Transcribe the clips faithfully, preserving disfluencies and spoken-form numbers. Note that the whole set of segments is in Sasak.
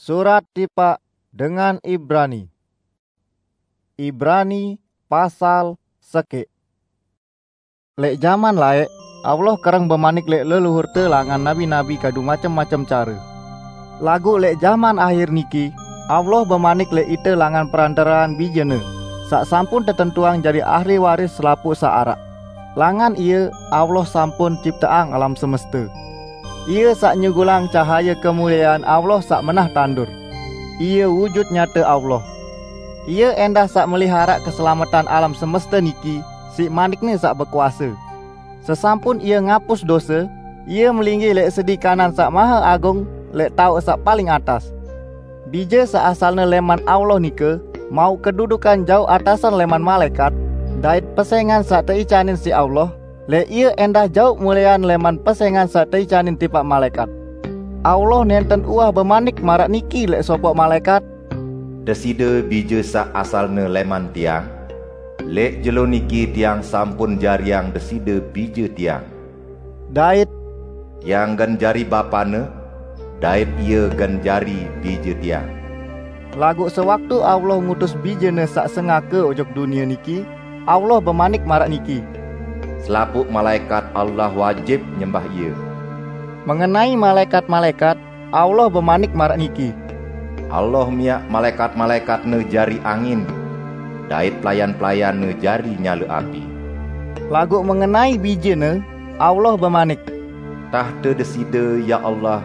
Surat tipaq dengan Ibrani. Ibrani pasal sekeq. Leq jaman laeq, Allah kereng bemanik leq leluhurte langan nabi-nabi kadu macem-macem care. Laguq leq jaman ahir niki, Allah bemanik leq ite langan perantaraan Bijene, saq sampun tetentuang jari ahli waris selapuq saq araq. Langan Ie, Allah sampun cipteang alam semeste. Ie saq nyugulang cahaye kemuliean Allah saq menah tandur. Ie wujut nyate Allah. Ie endah saq meliharaq keselametan alam semeste niki siq manik-Ne saq bekuase. Sesampun Ie ngapus dose, Ie melinggih leq sedi kanan Saq Mahe Agung leq taoq saq paling atas. Bije saq asalne leman Allah nike mauq kedudukan jauq atasan leman malaekat, dait pesengan saq teicanin siq Allah, leq Ie endah jauq mulean leman pesengan saq teicanin tipaq malaekat. Allah nenten uwah bemanik maraq niki leq sopoq malaekat, "Deside Bije saq asalne leman Tiang, leq jelo niki Tiang sampun jariang Deside Bije Tiang." Dait, "Tiang gen jari Bapane, dait Ie gen jari Bije Tiang." Laguq sewaktu Allah ngutus Bijene saq sengake ojok dunie niki, Allah bemanik maraq niki, "Selapuq malaekat Allah wajib nyembah Ie." Mengenai malaekat-malaekat, Allah bemanik maraq niki, "Allah miaq malaekat-malaekat-Ne jari angin, dait pelayan-pelayan-Ne jari nyale api." Laguq mengenai Bijene, Allah bemanik, "Tahte Deside, ya Allah,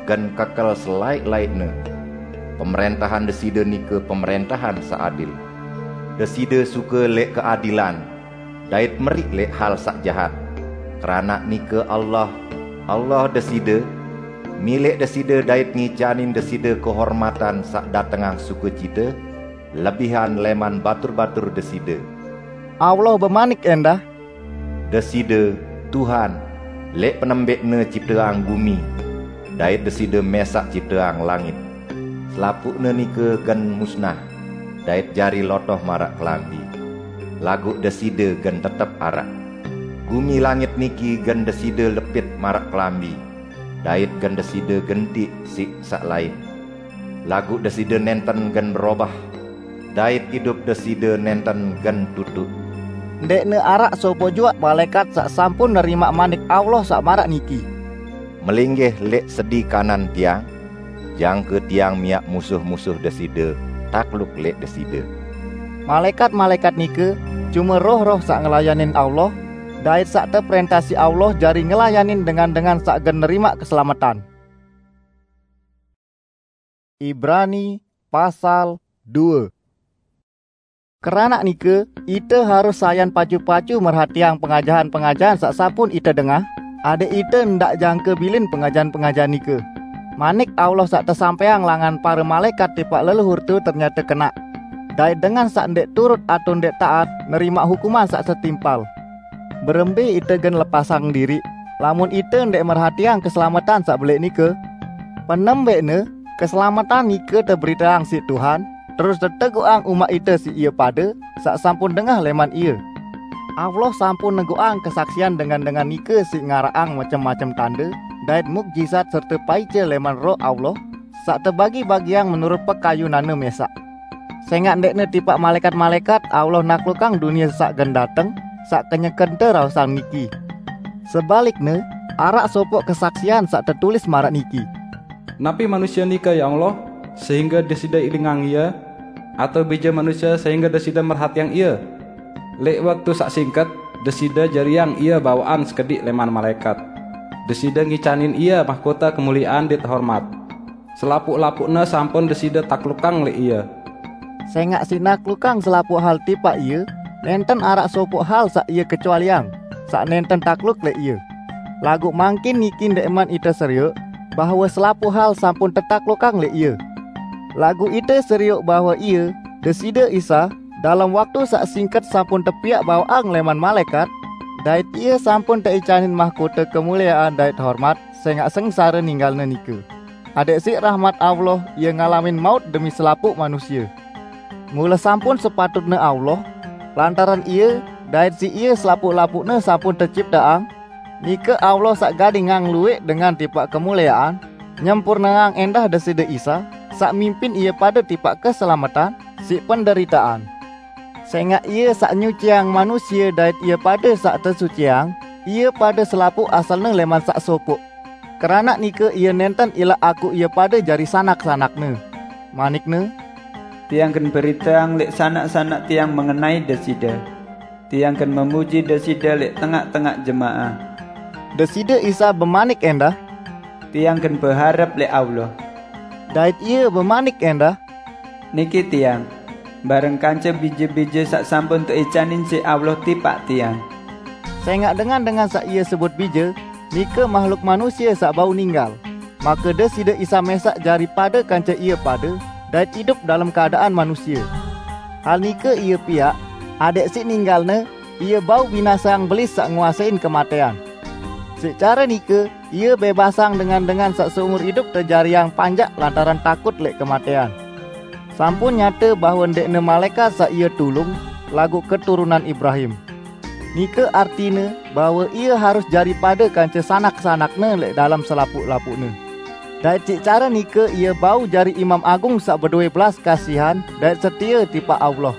gen kekel selaeq-laeqne. Pemerentahan Deside nike pemerentahan saq adil. Deside suke leq keadilan, dait meriq leq hal saq jahat. Keranaq nike Allah, Allah Deside, mileq Deside dait ngicanin Deside kehormatan saq datengang sukecite, lebihan leman batur-batur Deside." Allah bemanik endah, "Deside, Tuhan, leq penembeqne cipteang gumi, dait Deside mesaq cipteang langit. Selapuqne nike gen musnah, dait jari lotoh maraq kelambi. Laguq Deside gen tetep araq. Gumi langit niki gen Deside lepit maraq kelambi, dait gen Deside gentiq siq saq lain. Laguq Deside nenten gen berobah, dait idup Deside nenten gen tutuq." Ndeqne araq sopoq juaq malaekat saq sampun nerimaq manik Allah saq maraq niki, "Melinggih leq sedi kanan Tiang, jangke Tiang miaq musuh-musuh Deside takluk leq Deside." Malaekat-malaekat nike cume roh-roh saq ngelayanin Allah, dait saq teperentah siq Allah jari ngelayanin dengan-dengan saq gen nerimaq keselametan. Ibrani pasal due. Keranaq nike, ite harus sayan pacu-pacu merhatiang pengajahan-pengajahan saq sampun ite dengah, adeq ite ndaq jangke bilin pengajahan-pengajahan nike. Manik Allah saq tesampaiang langan pare malaekat tipaq leluhurte ternyate kenaq, dait dengan saq ndeq turut atao ndeq taat nerimaq hukuman saq setimpal. Berembe ite gen lepasang diriq, lamun ite ndeq merhatiang keselametan saq beleq nike? Penembeqne, keselametan nike teberiteang siq Tuhan, terus teteguqang umat ite siq ie pade saq sampun dengah leman Ie. Allah sampun neguqang kesaksian dengan-dengan nike siq ngaraqang macem-macem tande dait mukjizat serte paice leman Roh Allah, saq tebagi-bagiang menurut pekayunanne mesaq. Sengaq ndeqne tipaq malaekat-malaekat Allah naklukang dunie saq gen dateng, saq kenyeken teraosang niki. Sebalikne, araq sopoq kesaksian saq tetulis maraq niki, "Napi manusie nike, ya Allah, sehingge Deside ilingang ie? Atao bije manusie sehingge Deside merhatiang ie? Leq waktu saq singket, Deside jariang ie bawaqan sekediq leman malaekat. Deside ngicanin ie mahkota kemuliean dait hormat. Selapuq-lapuqne sampun Deside taklukang leq ie." Sengaq siq naklukang selapuq hal tipaq Ie, nenten araq sopoq hal saq Ie kecualiang, saq nenten takluk leq Ie. Laguq mangkin niki ndeqman ite serioq bahwe selapuq hal sampun tetaklukang leq Ie. Laguq ite serioq bahwe Ie, Deside Isa, dalem waktu saq singket sampun tepiaq bawaqang leman malaekat, dait Ie sampun teicanin mahkota kemuliean dait hormat sengaq sengsare ninggalne nike, adeq siq rahmat Allah Ie ngalamin maut demi selapuq manusie. Mule sampun sepatutne Allah, lantaran Ie dait siq Ie selapuq-lapuqne sampun tecipteang, nike Allah saq gadingang lueq dengan tipaq kemuliean, nyempurneang endah Deside Isa, saq mimpin ie pade tipaq keselametan siq penderitaan. Sengaq Ie saq nyuciang manusie dait ie pade saq tesuciang, ie pade selapuq asalne leman saq sopoq. Keranaq nike Ie nenten ilaq akuq ie pade jari sanak-sanak-Ne. Manik-Ne, "Tiang gen beriteang leq sanak-sanak Tiang mengenai Deside. Tiang gen memuji Deside leq tengaq-tengaq jemaah." Deside Isa bemanik endah, "Tiang gen beharep leq Allah." Dait Ie bemanik endah, "Niki Tiang, bareng kance bije-bije saq sampun teicanin siq Allah tipaq Tiang." Sengaq dengan-dengan saq Ie sebut bije, nike mahluk manusie saq bau ninggal, make Deside Isa mesaq jari pade kance ie pade dait idup dalem keadaan manusie. Hal nike Ie piaq, adeq siq ninggal-Ne, Ie bau binaseang belis saq nguasein kematean. Siq care nike, Ie bebasang dengan-dengan saq seumur idup tejariang panjak lantaran takut leq kematean. Sampun nyate bahwe ndeqne malaekat saq Ie tulung, laguq keturunan Ibrahim. Nike artine bahwe Ie harus jari pade kance sanak-sanak-Ne leq dalem selapuq-lapuqne. Dait siq care nike Ie bau jari Imam Agung saq bedowe belas kasihan dait setie tipaq Allah.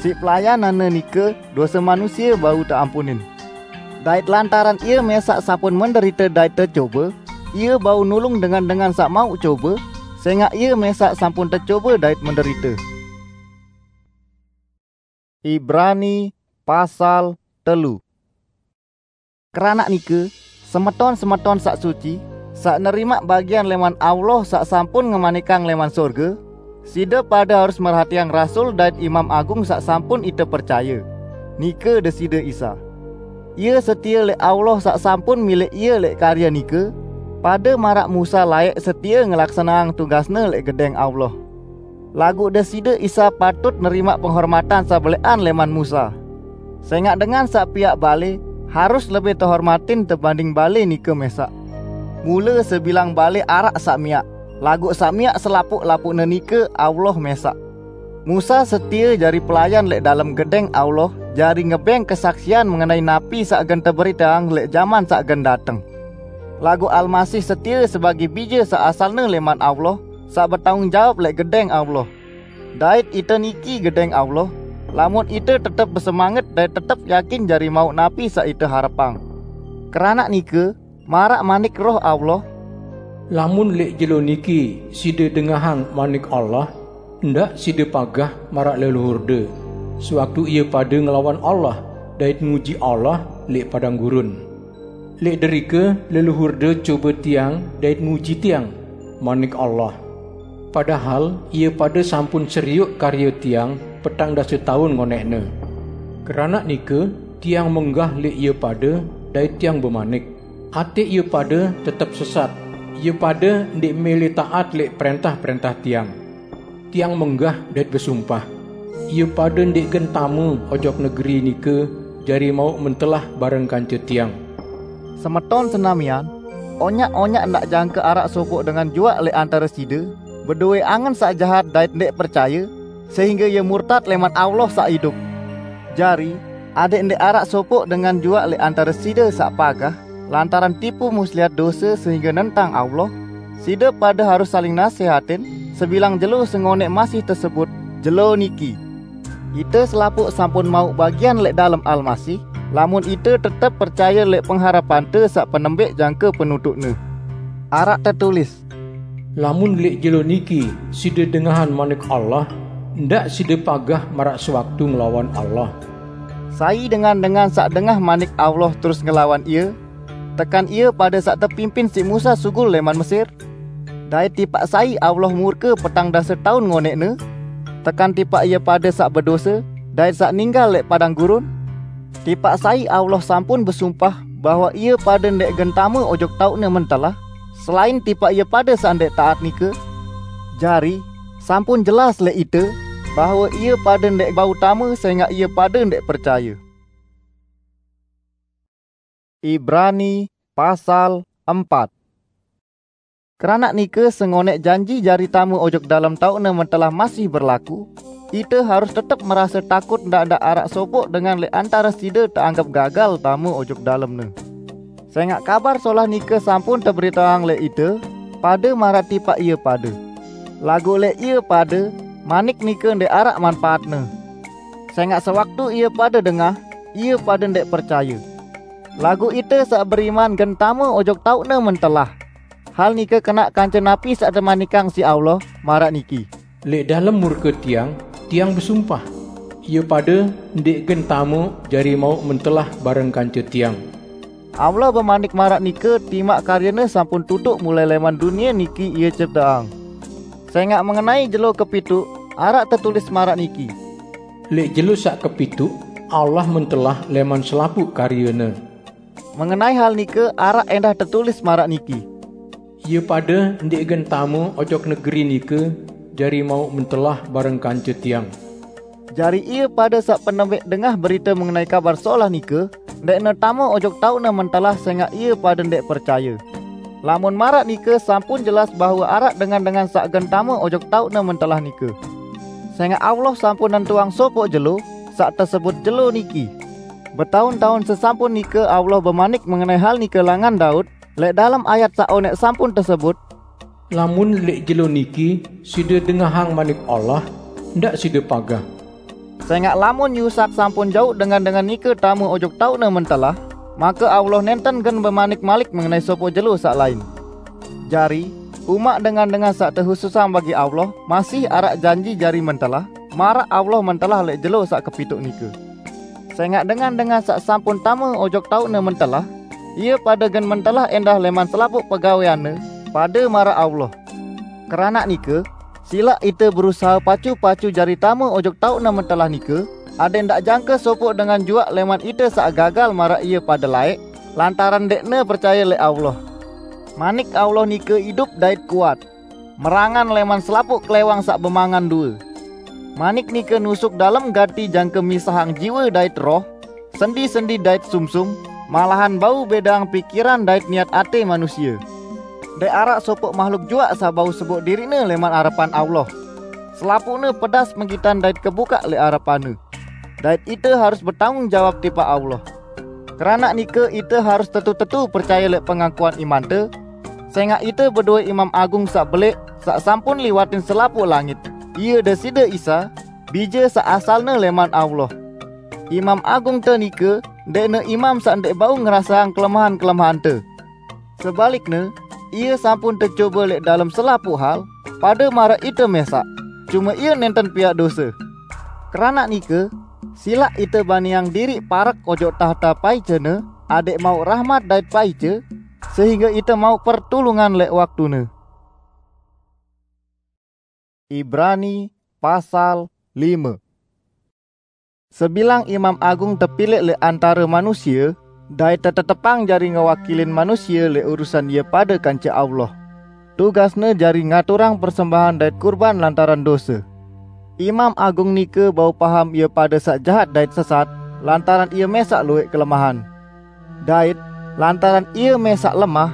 Siq pelayanan-Ne nike, dose manusie bau teampunin. Dait lantaran Ie mesaq sampun menderite dait tecobe, Ie bau nulung dengan-dengan saq mauq cobe, sengaq Ie mesaq sampun tecobe dait menderite. Ibrani pasal telu. Keranaq nike, semeton-semeton saq suci, saq nerimaq bagian leman Allah saq sampun ngemanikang leman sorge, side pade harus merhatiang rasul dait imam agung saq sampun ite percaye, nike Deside Isa. Ie setie leq Allah saq sampun milih ie leq karye nike, pade maraq Musa laeq setie ngelaksaneang tugasne leq Gedeng Allah. Laguq Deside Isa patut nerimaq penghormatan saq beleqan leman Musa. Sengaq dengan saq piaq bale harus lebih tehormatin tebanding bale nike mesaq. Mule sebilang bale araq saq miaq, laguq saq miaq selapuq-lapuqne nike Allah mesaq. Musa setie jari pelayan leq dalem Gedeng Allah, jari ngebeng kesaksian mengenai napi saq gen teberiteang leq jaman saq gen dateng. Laguq Almasih setie sebagi bije saq asalne leman Allah, saq betanggung jawab leq Gedeng Allah. Dait ite niki Gedeng Allah, lamun ite tetep besemanget dait tetep yakin jari mauq napi saq ite harepang. Keranaq nike, maraq manik Roh Allah, "Lamun leq jelo niki side dengahang manik Allah, ndaq side pagah maraq leluhurde, sewaktu ie pade ngelawan Allah dait nguji Allah leq padang gurun. Leq derike leluhurde cobe tiang dait nguji tiang, manik Allah. Padahal ie pade sampun serioq karye tiang petang dase taun ngonẽqne. Keranaq nike, tiang menggah leq ie pade dait tiang bemanik, 'Ateq ie pade tetep sesat, ie pade ndeq mele taat leq prẽntah-prẽntah tiang.' Tiang menggah dait besumpah, 'Ie pade ndeq gen tame ojok negeri nike jari mauq mentelah bareng kance tiang.'" Semeton senamian, onyaq-onyaq ndaq jangke araq sopoq dengan juaq leq antare side bedowe angen saq jahat dait ndeq percaye, sehingge ie murtat leman Allah saq idup. Jari, adeq ndeq araq sopoq dengan juaq leq antare side saq pagah lantaran tipu muslihat dose sehingge nentang Allah, side pade harus saling nasehatin, sebilang jelo sengonẽq masih tesebut jelo niki. Ite selapuq sampun mauq bagian leq dalem Almasih, lamun ite tetep percaye leq pengharepante saq penembeq jangke penutuqne. Araq tetulis, "Lamun leq jelo niki side dengahan manik Allah, ndaq side pagah maraq sewaktu ngelawan Allah." Sai dengan-dengan saq dengah manik Allah terus ngelawan Ie, tekan ie pade saq tepimpin siq Musa sugul leman Mesir? Dait tipaq sai Allah murke petang dase taun ngonẽqne? Tekan tipaq ie pade saq bedose dait saq ninggal leq padang gurun? Tipaq sai Allah sampun besumpah bahwe ie pade ndeq gen tame ojok taoqne mentelah, selain tipaq ie pade saq ndeq taat nike? Jari, sampun jelas leq ite bahwe ie pade ndeq bau tame sengaq ie pade ndeq percaye. Ibrani pasal empat. Keranaq nike, sengonẽq janji jari tame ojok dalem taoqne mentelah masih berlaku, ite harus tetep merase takut ndaq-ndaq araq sopoq dengan leq antare side teanggep gagal tame ojok dalemne. Sengaq Kabar Solah nike sampun teberiteang leq ite pade maraq tipaq ie pade. Laguq leq ie pade, manik nike ndeq araq manpaatne. Sengaq sewaktu ie pade dengah, ie pade ndeq percaye. Laguq ite saq beriman gen tame ojok taoqne mentelah. Hal nike kenaq kance napi saq temanikang siq Allah, maraq niki, "Leq dalem murke tiang, tiang besumpah, ie pade ndeq gen tame jari mauq mentelah bareng kance tiang." Allah bemanik maraq nike timaq karyene sampun tutuq mulai leman dunie niki ie cipteang. Sengaq mengenai jelo kepituq, araq tetulis maraq niki, "Leq jelo saq kepituq, Allah mentelah leman selapuq karyene." Mengenai hal nike araq endah tetulis maraq niki, "Ie pade ndeq gen tame ojok negeri nike jari mauq mentelah bareng kance tiang." Jari ie pade saq penembeq dengah berite mengenai Kabar Solah nike, ndeqne tame ojok taoqne mentelah sengaq ie pade ndeq percaye. Lamun maraq nike sampun jelas bahwe araq dengan-dengan saq gen tame ojok taoqne mentelah nike. Sengaq Allah sampun nentuang sopoq jelo, saq tesebut jelo niki. Betaun-taun sesampun nike Allah bemanik mengenai hal nike langan Daud, leq dalem ayat saq oneq sampun tesebut, "Lamun leq jelo niki side dengahang manik Allah, ndaq side pagah. Sengaq lamun yusak sampun jauq dengan-dengan nike tame ojok taoqne mentelah, make Allah nenten gen bemanik malik mengenai sopoq jelo saq lain." Jari, umaq dengan-dengan saq tehususang bagi Allah, masih araq janji jari mentelah, maraq Allah mentelah leq jelo saq kepituq nike. Sengaq dengan-dengan saq sampun tame ojok taoqne mentelah, ie pade gen mentelah endah leman selapuq pegaweanne, pade maraq Allah. Keranaq nike, silaq ite berusahe pacu-pacu jari tame ojok taoqne mentelah nike, adeq ndaq jangke sopoq dengan juaq leman ite saq gagal maraq ie pade laeq, lantaran ndeqne percaye leq Allah. Manik Allah nike idup dait kuat, merangan leman selapuq klewang saq bemangan due. Manik nike nusuk dalem gati jangke misahang jiwe dait roh, sendi-sendi dait sumsum, malahan bau bedang pikiran dait niat ate manusie. Ndeq araq sopoq mahluk juaq saq bau seboq diriqne leman arepan Allah. Selapuqne pedas menggitan dait kebukaq leq arepanne. Dait ite harus betanggung jawab tipaq Allah. Keranaq nike ite harus tetu-tetu percaye leq pengakuan imante, sengaq ite bedowe Imam Agung saq beleq, saq sampun liwatin selapuq langit. Ie Deside Isa, Bije saq asalne leman Allah. Imam Agungte nike ndeqne imam saq ndeq bau ngerasaang kelemahan-kelemehan-Te. Sebalikne, ie sampun tecobe leq dalem selapuq hal, pade maraq ite mesaq, cume ie nenten piaq dose. Keranaq nike, silaq ite baniang diriq parek ojok tahta paicene, adeq mauq rahmat dait paice, sehingge ite mauq pertulungan leq waktune. Ibrani pasal lime. Sebilang Imam Agung tepilek leq antare manusie, dait tetetepang jari ngewakilin manusie leq urusan ie pade kance Allah. Tugasne jari ngaturang persembahan dait kurban lantaran dose. Imam Agung nike bau paham ie pade saq jahat dait sesat, lantaran ie mesaq lueq kelemahan. Dait, lantaran ie mesaq lemah,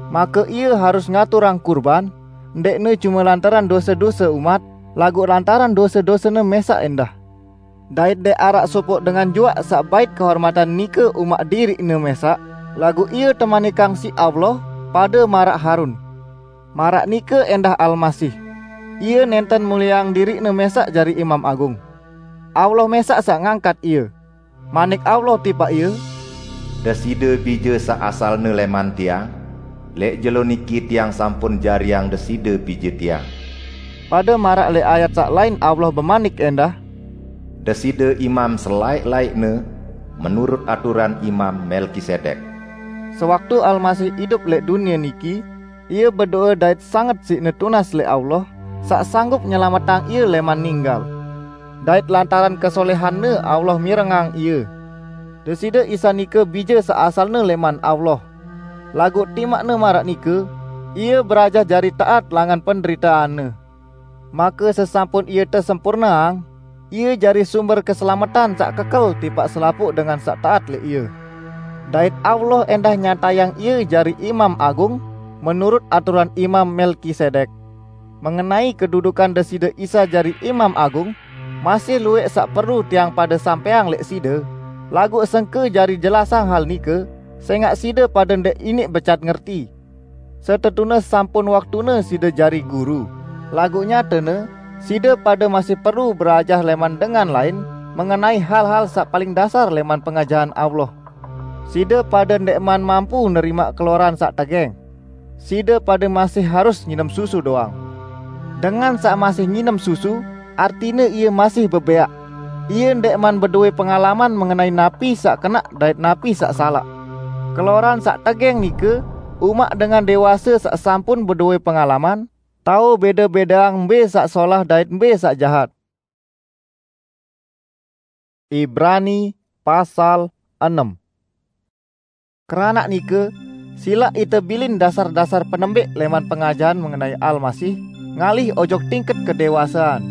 make ie harus ngaturang kurban, ndeqne cume lantaran dose-dose umat, laguq lantaran dose-dosene mesaq endah. Dait ndeq araq sopoq dengan juaq saq bait kehormatan nike umaq diriqne mesaq, laguq ie temanikang siq Allah pade maraq Harun. Maraq nike endah Almasih. Ie nenten mulieang diriqne mesaq jari Imam Agung. Allah mesaq saq ngangkat ie. Manik Allah tipaq ie, "Deside Bije saq asalne leman Tiang, leq jelo niki Tiang sampun jariang Deside Bije Tiang." Pade maraq leq ayat saq lain Allah bemanik endah, "Deside Imam selaeq-laeqne menurut aturan Imam Melkisedek." Sewaktu Almasih idup leq dunie niki, ie bedoe dait sanget siqne tunas leq Allah, saq sanggup nyelametang ie leman ninggal. Dait lantaran kesolehanne Allah mirengang ie. Deside Isa nike Bije saq asalne leman Allah. Laguq timaqne maraq nike, ie berajah jari taat langan penderitaanne. Make sesampun ie tesempurneang, ie jari sumber keselametan saq kekel tipaq selapuq dengan saq taat leq ie. Dait Allah endah nyatayang ie jari Imam Agung menurut aturan Imam Melkisedek. Mengenai kedudukan Deside Isa jari Imam Agung, masih lueq saq perlu tiang pade sampeang leq side, laguq sengke jari jelasang hal nike, sengaq side pade ndeq iniq becat ngerti. Setetune sampun waktune side jari guru. Laguq nyatene, side pade masih perlu berajah leman dengan lain mengenai hal-hal saq paling dasar leman pengajahan Allah. Side pade ndeqman mampu nerimaq keloran saq tegeng. Side pade masih harus nginem susu doang. Dengan saq masih nginem susu, artine ie masih bebeaq. Ie ndeqman bedowe pengalaman mengenai napi saq kenaq dait napi saq salaq. Keloran saq tegeng nike umaq dengan dewase saq sampun bedowe pengalaman, tao beda-bedaang mbe saq solah dait mbe saq jahat. Ibrani pasal enem. Keranaq nike, silaq ite bilin dasar-dasar penembeq leman pengajahan mengenai Almasih, ngalih ojok tingket kedewasean.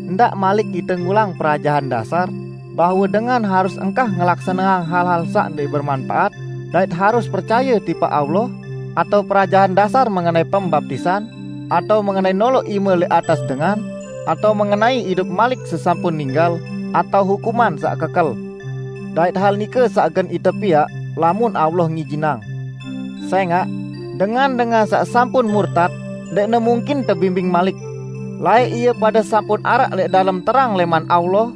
Ndaq malik ite ngulang perajahan dasar, bahwe dengan harus engkah ngelaksaneang hal-hal saq ndeq bermanpaat, dait harus percaye tipaq Allah, atau perajahan dasar mengenai pembaptisan, atau mengenai noloq ime leq atas dengan, atau mengenai idup malik sesampun ninggal, atau hukuman saq kekel. Dait hal nike saq gen ite piaq, lamun Allah ngijinang. Sengaq, dengan-dengan saq sampun murtad, ndeqne mungkin tebimbing malik. Laeq ie pade sampun araq leq dalem terang leman Allah,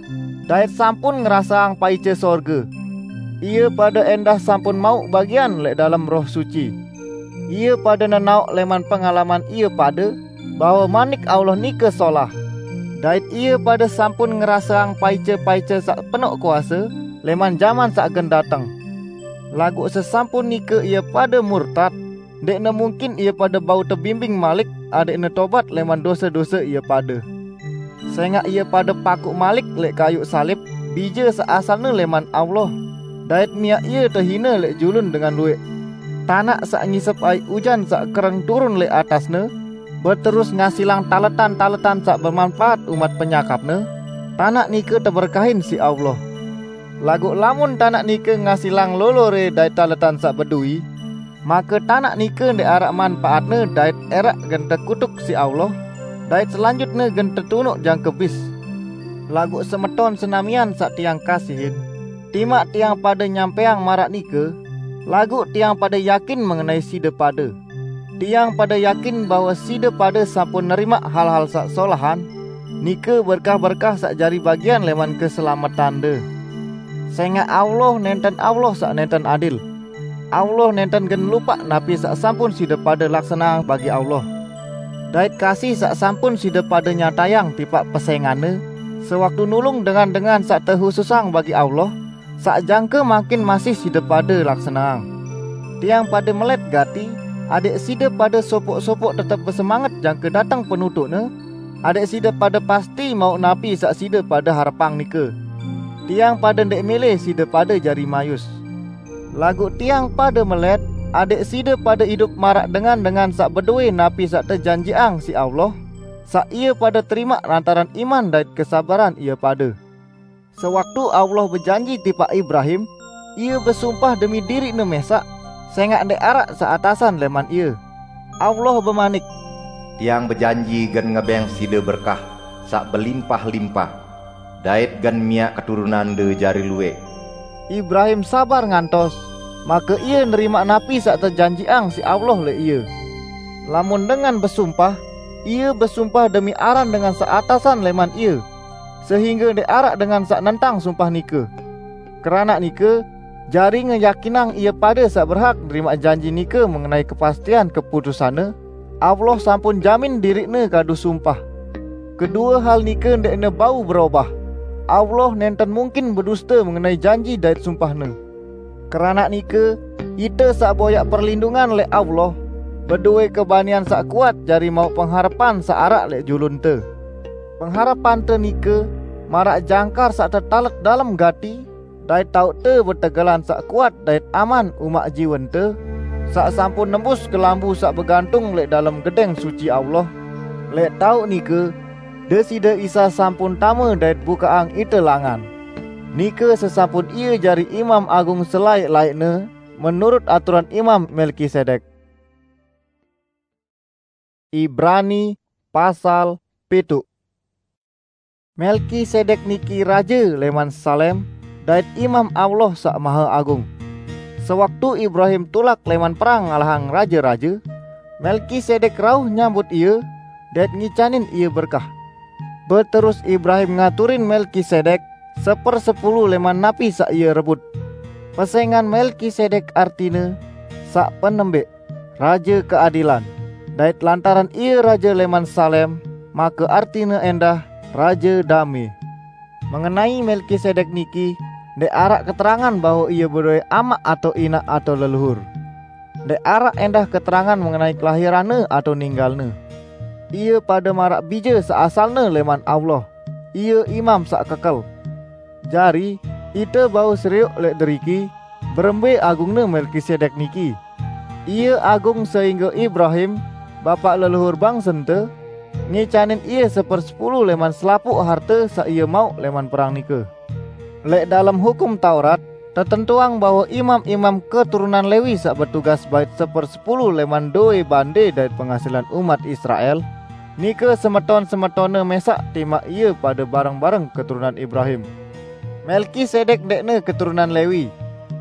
dait sampun ngerasaang paice sorge. Ie pade endah sampun mauq bagian leq dalem Roh Suci. Ie pade nenaoq leman pengalaman ie pade, bahwe Manik Allah nike solah. Dait ie pade sampun ngerasaang paice-paice saq penoq kuase leman jaman saq gen dateng. Laguq sesampun nike ie pade murtad, ndeqne mungkin ie pade bau tebimbing malik adeqne tobat leman dose-dose ie pade. Sengaq ie pade pakuq malik leq kayuq salib bije saq asalne leman Allah, dait miaq ie tehine leq julun dengan lueq. Tanaq saq ngisep aiq ujan saq kereng turun leq atasne, beterus ngasilang taletan-taletan saq bemanpaat umat penyakapne, tanaq nike teberkahin siq Allah. Laguq lamun tanaq nike ngasilang lolore dait taletan saq bedowi, make tanaq nike ndeq araq manpaatne dait eraq gen tekutuk siq Allah, dait selanjutne gen tetunuq jangke bis. Laguq semeton senamian saq tiang kasihin, timaq tiang pade nyampeang maraq nike, laguq tiang pade yakin mengenai side pade. Tiang pade yakin bahwe side pade sampun nerimaq hal-hal saq solahan, nike berkah-berkah saq jari bagian leman keselametande. Sengaq Allah nenten Allah saq nenten adil. Allah nenten gen lupaq napi saq sampun side pade laksaneang bagi Allah. Dait kasih saq sampun side pade nyatayang tipaq pesenganne, sewaktu nulung dengan-dengan saq tehususang bagi Allah, saq jangke mangkin masih side pade laksaneang. Tiang pade melet gati, adeq side pade sopoq-sopoq tetep besemanget jangke dateng penutuqne, adeq side pade pasti mauq napi saq side pade harepang nike. Tiang pade ndeq mele side pade jari mayus. Laguq tiang pade melet, adeq side pade idup maraq dengan-dengan saq bedowe napi saq tejanjiqang siq Allah, saq ie pade terimaq lantaran iman dait kesabaran ie pade. Sewaktu Allah bejanji tipaq Ibrahim, Ie besumpah demi diriqne mesaq, sengaq ndeq araq saq atasan leman Ie. Allah bemanik, "Tiang bejanji gen ngebeng side berkah saq belimpah-limpah, dait gen miaq keturunande jari lueq." Ibrahim sabar ngantos, make ie nerimaq napi saq tejanjiqang siq Allah leq ie. Lamun dengan besumpah, ie besumpah demi aran dengan saq atasan leman ie, sehingge ndeq araq dengan saq nentang sumpah nike. Keranaq nike, jari ngeyakinang ie pade saq berhak nerimaq janji nike mengenai kepastian keputusanne, Allah sampun jamin diriqne kadu sumpah. Kedue hal nike ndeqne bau berobah. Allah nenten mungkin beduste mengenai janji dait sumpah-Ne. Keranaq nike, ite saq boyaq perlindungan leq Allah, bedowe kebanian saq kuat jari mauq pengharepan saq araq leq julunte. Pengharepante nike maraq jangkar saq tetalek dalem gati, dait taoqte betegelan saq kuat dait aman umaq jiwente, saq sampun nembus kelambu saq begantung leq dalem Gedeng Suci Allah, leq taoq nike Deside Isa sampun tame dait bukaqang ite langan. Nike sesampun Ie jari Imam Agung selaeq-laeqne menurut aturan Imam Melkisedek. Ibrani pasal pituq. Melkisedek niki raje leman Salem dait Imam Allah Saq Mahe Agung. Sewaktu Ibrahim tulak leman perang ngalahang raje-raje, Melkisedek rauh nyambut ie, dait ngicanin ia berkah. Beterus Ibrahim ngaturin Melkisedek sepersepulu leman napi saq ie rebut. Pesengan Melkisedek artine saq penembeq, raje keadilan, dait lantaran ie raje leman Salem, make artine endah raje dame. Mengenai Melkisedek niki ndeq araq keterangan bahwe ie bedoe amaq atau inaq atau leluhur. Ndeq araq endah keterangan mengenai kelahiranne atau ninggalne. Ie pade maraq bije saq asalne leman Allah. Ie imam saq kekel. Jari, ite bau serioq leq deriki berembe agungne Melkisedek niki. Ie agung sehingge Ibrahim, bapaq leluhur bangsente, ngicanin ie sepersepulu leman selapuq harte saq ie mauq leman perang nike. Leq dalem Hukum Taurat tetentuang bahwe imam-imam keturunan Lewi saq betugas bait sepersepulu leman doe bande dait pengasilan umat Israel, nike semeton-semetonne mesaq timaq ie pade bareng-bareng keturunan Ibrahim. Melkisedek ndeqne keturunan Lewi,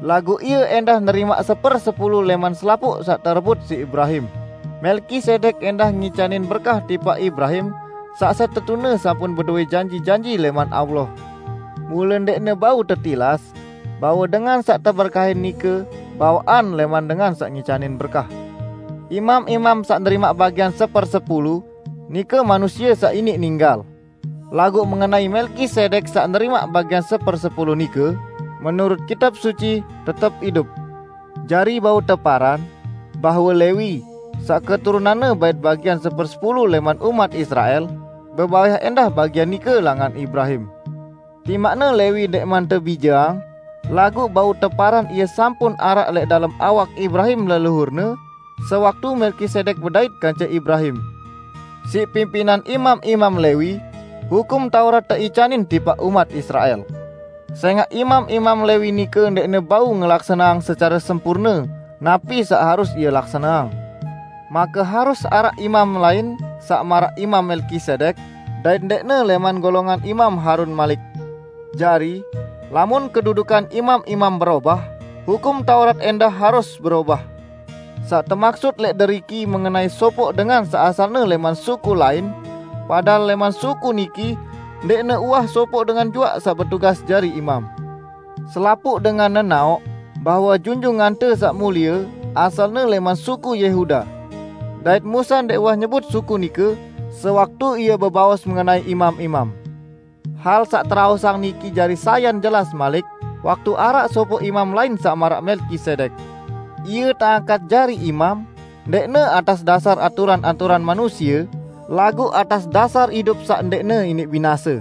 laguq ie endah nerimaq sepersepulu leman selapuq saq terebut siq Ibrahim. Melkisedek endah ngicanin berkah tipaq Ibrahim, saq setetune sampun bedoe janji-janji leman Allah. Mule ndeqne bau tetilas bahwe dengan saq teberkahin nike bawaqan leman dengan saq ngicanin berkah. Imam-imam saq nerimaq bagian sepersepulu nike manusie saq iniq ninggal. Laguq mengenai Melkisedek saq nerimaq bagian sepersepulu nike, menurut Kitab Suci, tetep idup. Jari bau teparan bahwe Lewi, saq keturunanne bait bagian sepersepulu leman umat Israel, bebaweh endah bagian nike langan Ibrahim. Timaqne Lewi ndeqman tebijeang, laguq bau teparan ie sampun araq leq dalem awak Ibrahim leluhurne, sewaktu Melkisedek bedait kance Ibrahim. Siq pimpinan imam-imam Lewi, Hukum Taurat teicanin tipaq umat Israel. Sengaq imam-imam Lewi nike ndeqne bau ngelaksaneang secare sempurne napi saq harus ie laksaneang. Make harus araq imam lain saq maraq Imam Melkisedek, dait ndeqne leman golongan Imam Harun malik. Jari, lamun kedudukan imam-imam berobah, Hukum Taurat endah harus berobah. Saq temaksut leq deriki mengenai sopoq dengan saq asalne leman suku lain, padahal leman suku niki ndeqne uwah sopoq dengan juaq saq betugas jari imam. Selapuq dengan nenaoq bahwe Junjungante Saq Mulie asalne leman suku Yehuda. Dait Musa ndeq uwah nyebut suku nike sewaktu ie bebaos mengenai imam-imam. Hal saq teraosang niki jari sayan jelas malik, waktu araq sopoq imam lain saq maraq Melkisedek. Ie teangkat jari imam, ndeqne atas dasar aturan-aturan manusie, laguq atas dasar idup saq ndeqne iniq binase.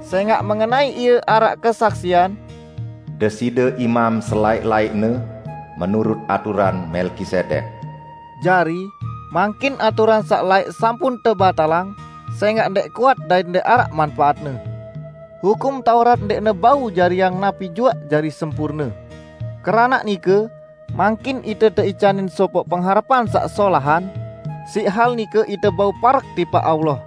Sengaq mengenai ie araq kesaksian, "Deside imam selaeq-laeqne menurut aturan Melkisedek." Jari, mangkin aturan saq laeq sampun tebatalang, sengaq ndeq kuat dait ndeq araq manpaatne. Hukum Taurat ndeqne bau jariang napi juaq jari sempurne. Keranaq nike, mangkin ite teicanin sopoq pengharepan saq solahan, siq hal nike ite bau parek tipaq Allah.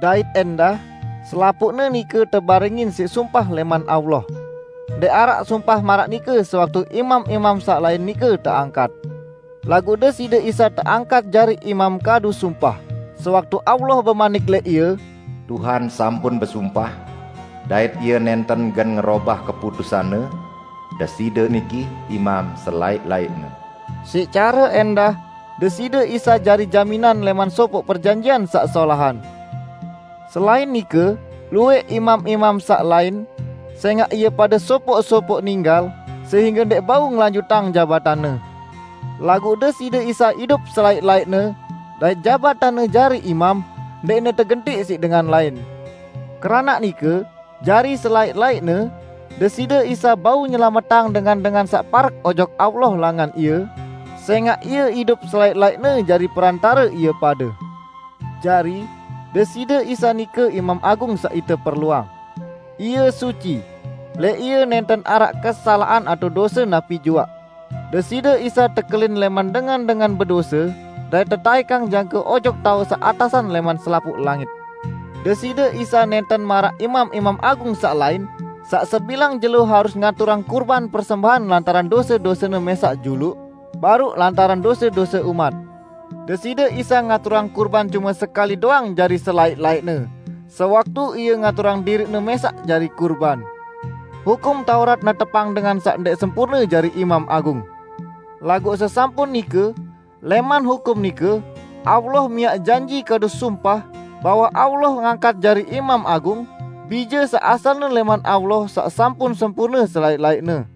Dait endah, selapuqne nike tebarengin siq sumpah leman Allah. Ndeq araq sumpah maraq nike sewaktu imam-imam saq lain nike teangkat. Laguq Deside Isa teangkat jari imam kadu sumpah, sewaktu Allah bemanik leq Ie, "Tuhan sampun besumpah, dait Ie nenten gen ngerobah keputusanne, Deside niki imam selaeq-laeqne." Siq care endah, Deside Isa jari jaminan leman sopoq perjanjian saq solahan. Selain nike, luwẽq imam-imam saq lain, sengaq ie pade sopoq-sopoq ninggal, sehingge ndeq bau ngelanjutang jabatanne. Laguq Deside Isa idup selaeq-laeqne, dait jabatanne jari imam ndeqne tegentiq siq dengan lain. Keranaq nike, jari selaeq-laeqne, Deside Isa bau nyelametang dengan-dengan saq parek ojok Allah langan Ie, sengaq Ie idup selaeq-laeqne jari perantare ie pade. Jari, Deside Isa nike Imam Agung saq ite perluang. Ie suci. Leq Ie nenten araq kesalaqan atao dose napi juaq. Deside Isa tekelin leman dengan-dengan bedose, dait tetaekang jangke ojok taoq saq atasan leman selapuq langit. Deside Isa nenten maraq imam-imam agung saq lain, saq sebilang jelo harus ngaturang kurban persembahan lantaran dose-dosene mesaq juluq, baruq lantaran dose-dose umat. Deside Isa ngaturang kurban cuma sekali doang jari selaik-laikne, sewaktu Ia ngaturang diriNe mesaq jari kurban. Hukum Taurat netepang dengan saq ndeq sempurne jari Imam Agung. Laguq sesampun nike, leman hukum nike, Allah miaq janji kadu sumpah bahwe Allah ngangkat jari Imam Agung, Bije saq asalne leman Allah saq sampun sempurne selaik-laikne.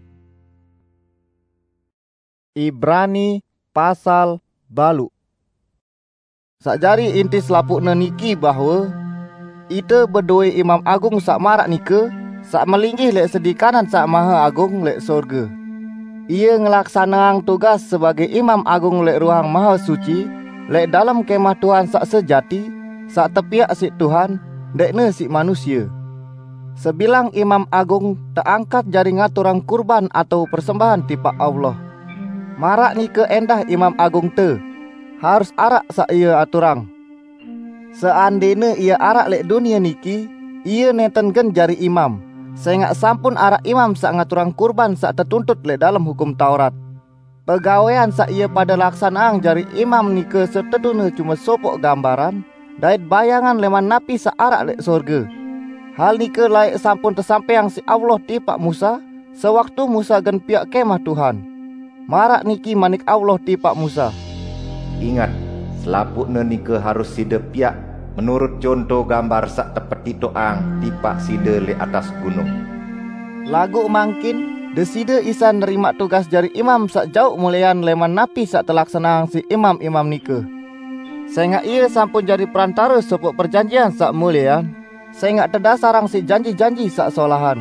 Ibrani pasal baluq. Saq jari inti selapuqne niki bahwe ite bedowe Imam Agung saq maraq nike, saq melinggih leq sedi kanan Saq Mahe Agung leq sorge. Ie ngelaksaneang tugas sebage Imam Agung leq Ruang Mahe Suci, leq dalem Kemah Tuhan saq sejati, saq tepiaq siq Tuhan, ndeqne siq manusie. Sebilang Imam Agung teangkat jari ngaturang kurban atao persembahan tipaq Allah. Maraq nike endah Imam Agungte, harus araq saq ie aturang. Seandene ie araq leq dunie niki, ie nenten gen jari imam, sengaq sampun araq imam saq ngaturang kurban saq tetuntut leq dalem Hukum Taurat. Pegawean saq ie pade laksaneang jari imam nike setetune cume sopoq gambaran dait bayangan leman napi saq araq leq sorge. Hal nike laeq sampun tesampaiang siq Allah tipaq Musa, sewaktu Musa gen piaq Kemah Tuhan. Maraq niki manik Allah tipaq Musa, "Inget, selapuqne nike harus side piaq menurut conto gambar saq tepetitoqang tipaq side leq atas gunung." Laguq mangkin, Deside Isa nerimaq tugas jari imam saq jauq mulean leman napi saq telaksaneang siq imam-imam nike. Sengaq Ie sampun jari perantare sopoq perjanjian saq mulean, sengaq tedasarang siq janji-janji saq solahan.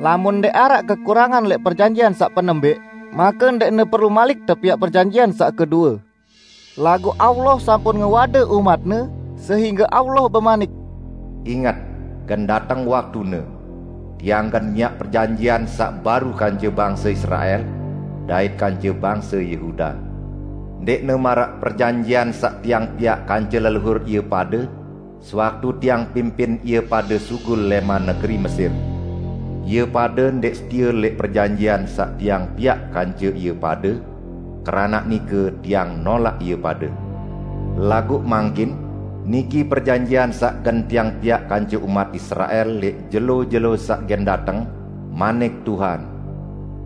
Lamun ndeq araq kekurangan leq perjanjian saq penembeq, make ndeqne perlu malik tepiaq perjanjian saq kedue. Laguq Allah sampun ngewade umat-Ne, sehingge Allah bemanik, "Inget, gen dateng waktune, Tiang gen miaq perjanjian saq baru kance bangse Israel dait kance bangse Yehuda. Ndeqne maraq perjanjian saq Tiang piaq kance leluhur ie pade, sewaktu Tiang pimpin ie pade sugul leman negeri Mesir. Ie pade ndeq setie leq perjanjian saq Tiang piaq kance ie pade, keranaq nike Tiang nolaq ie pade. Laguq mangkin, niki perjanjian saq gen Tiang piaq kance umat Israel leq jelo-jelo saq gen dateng, manik Tuhan.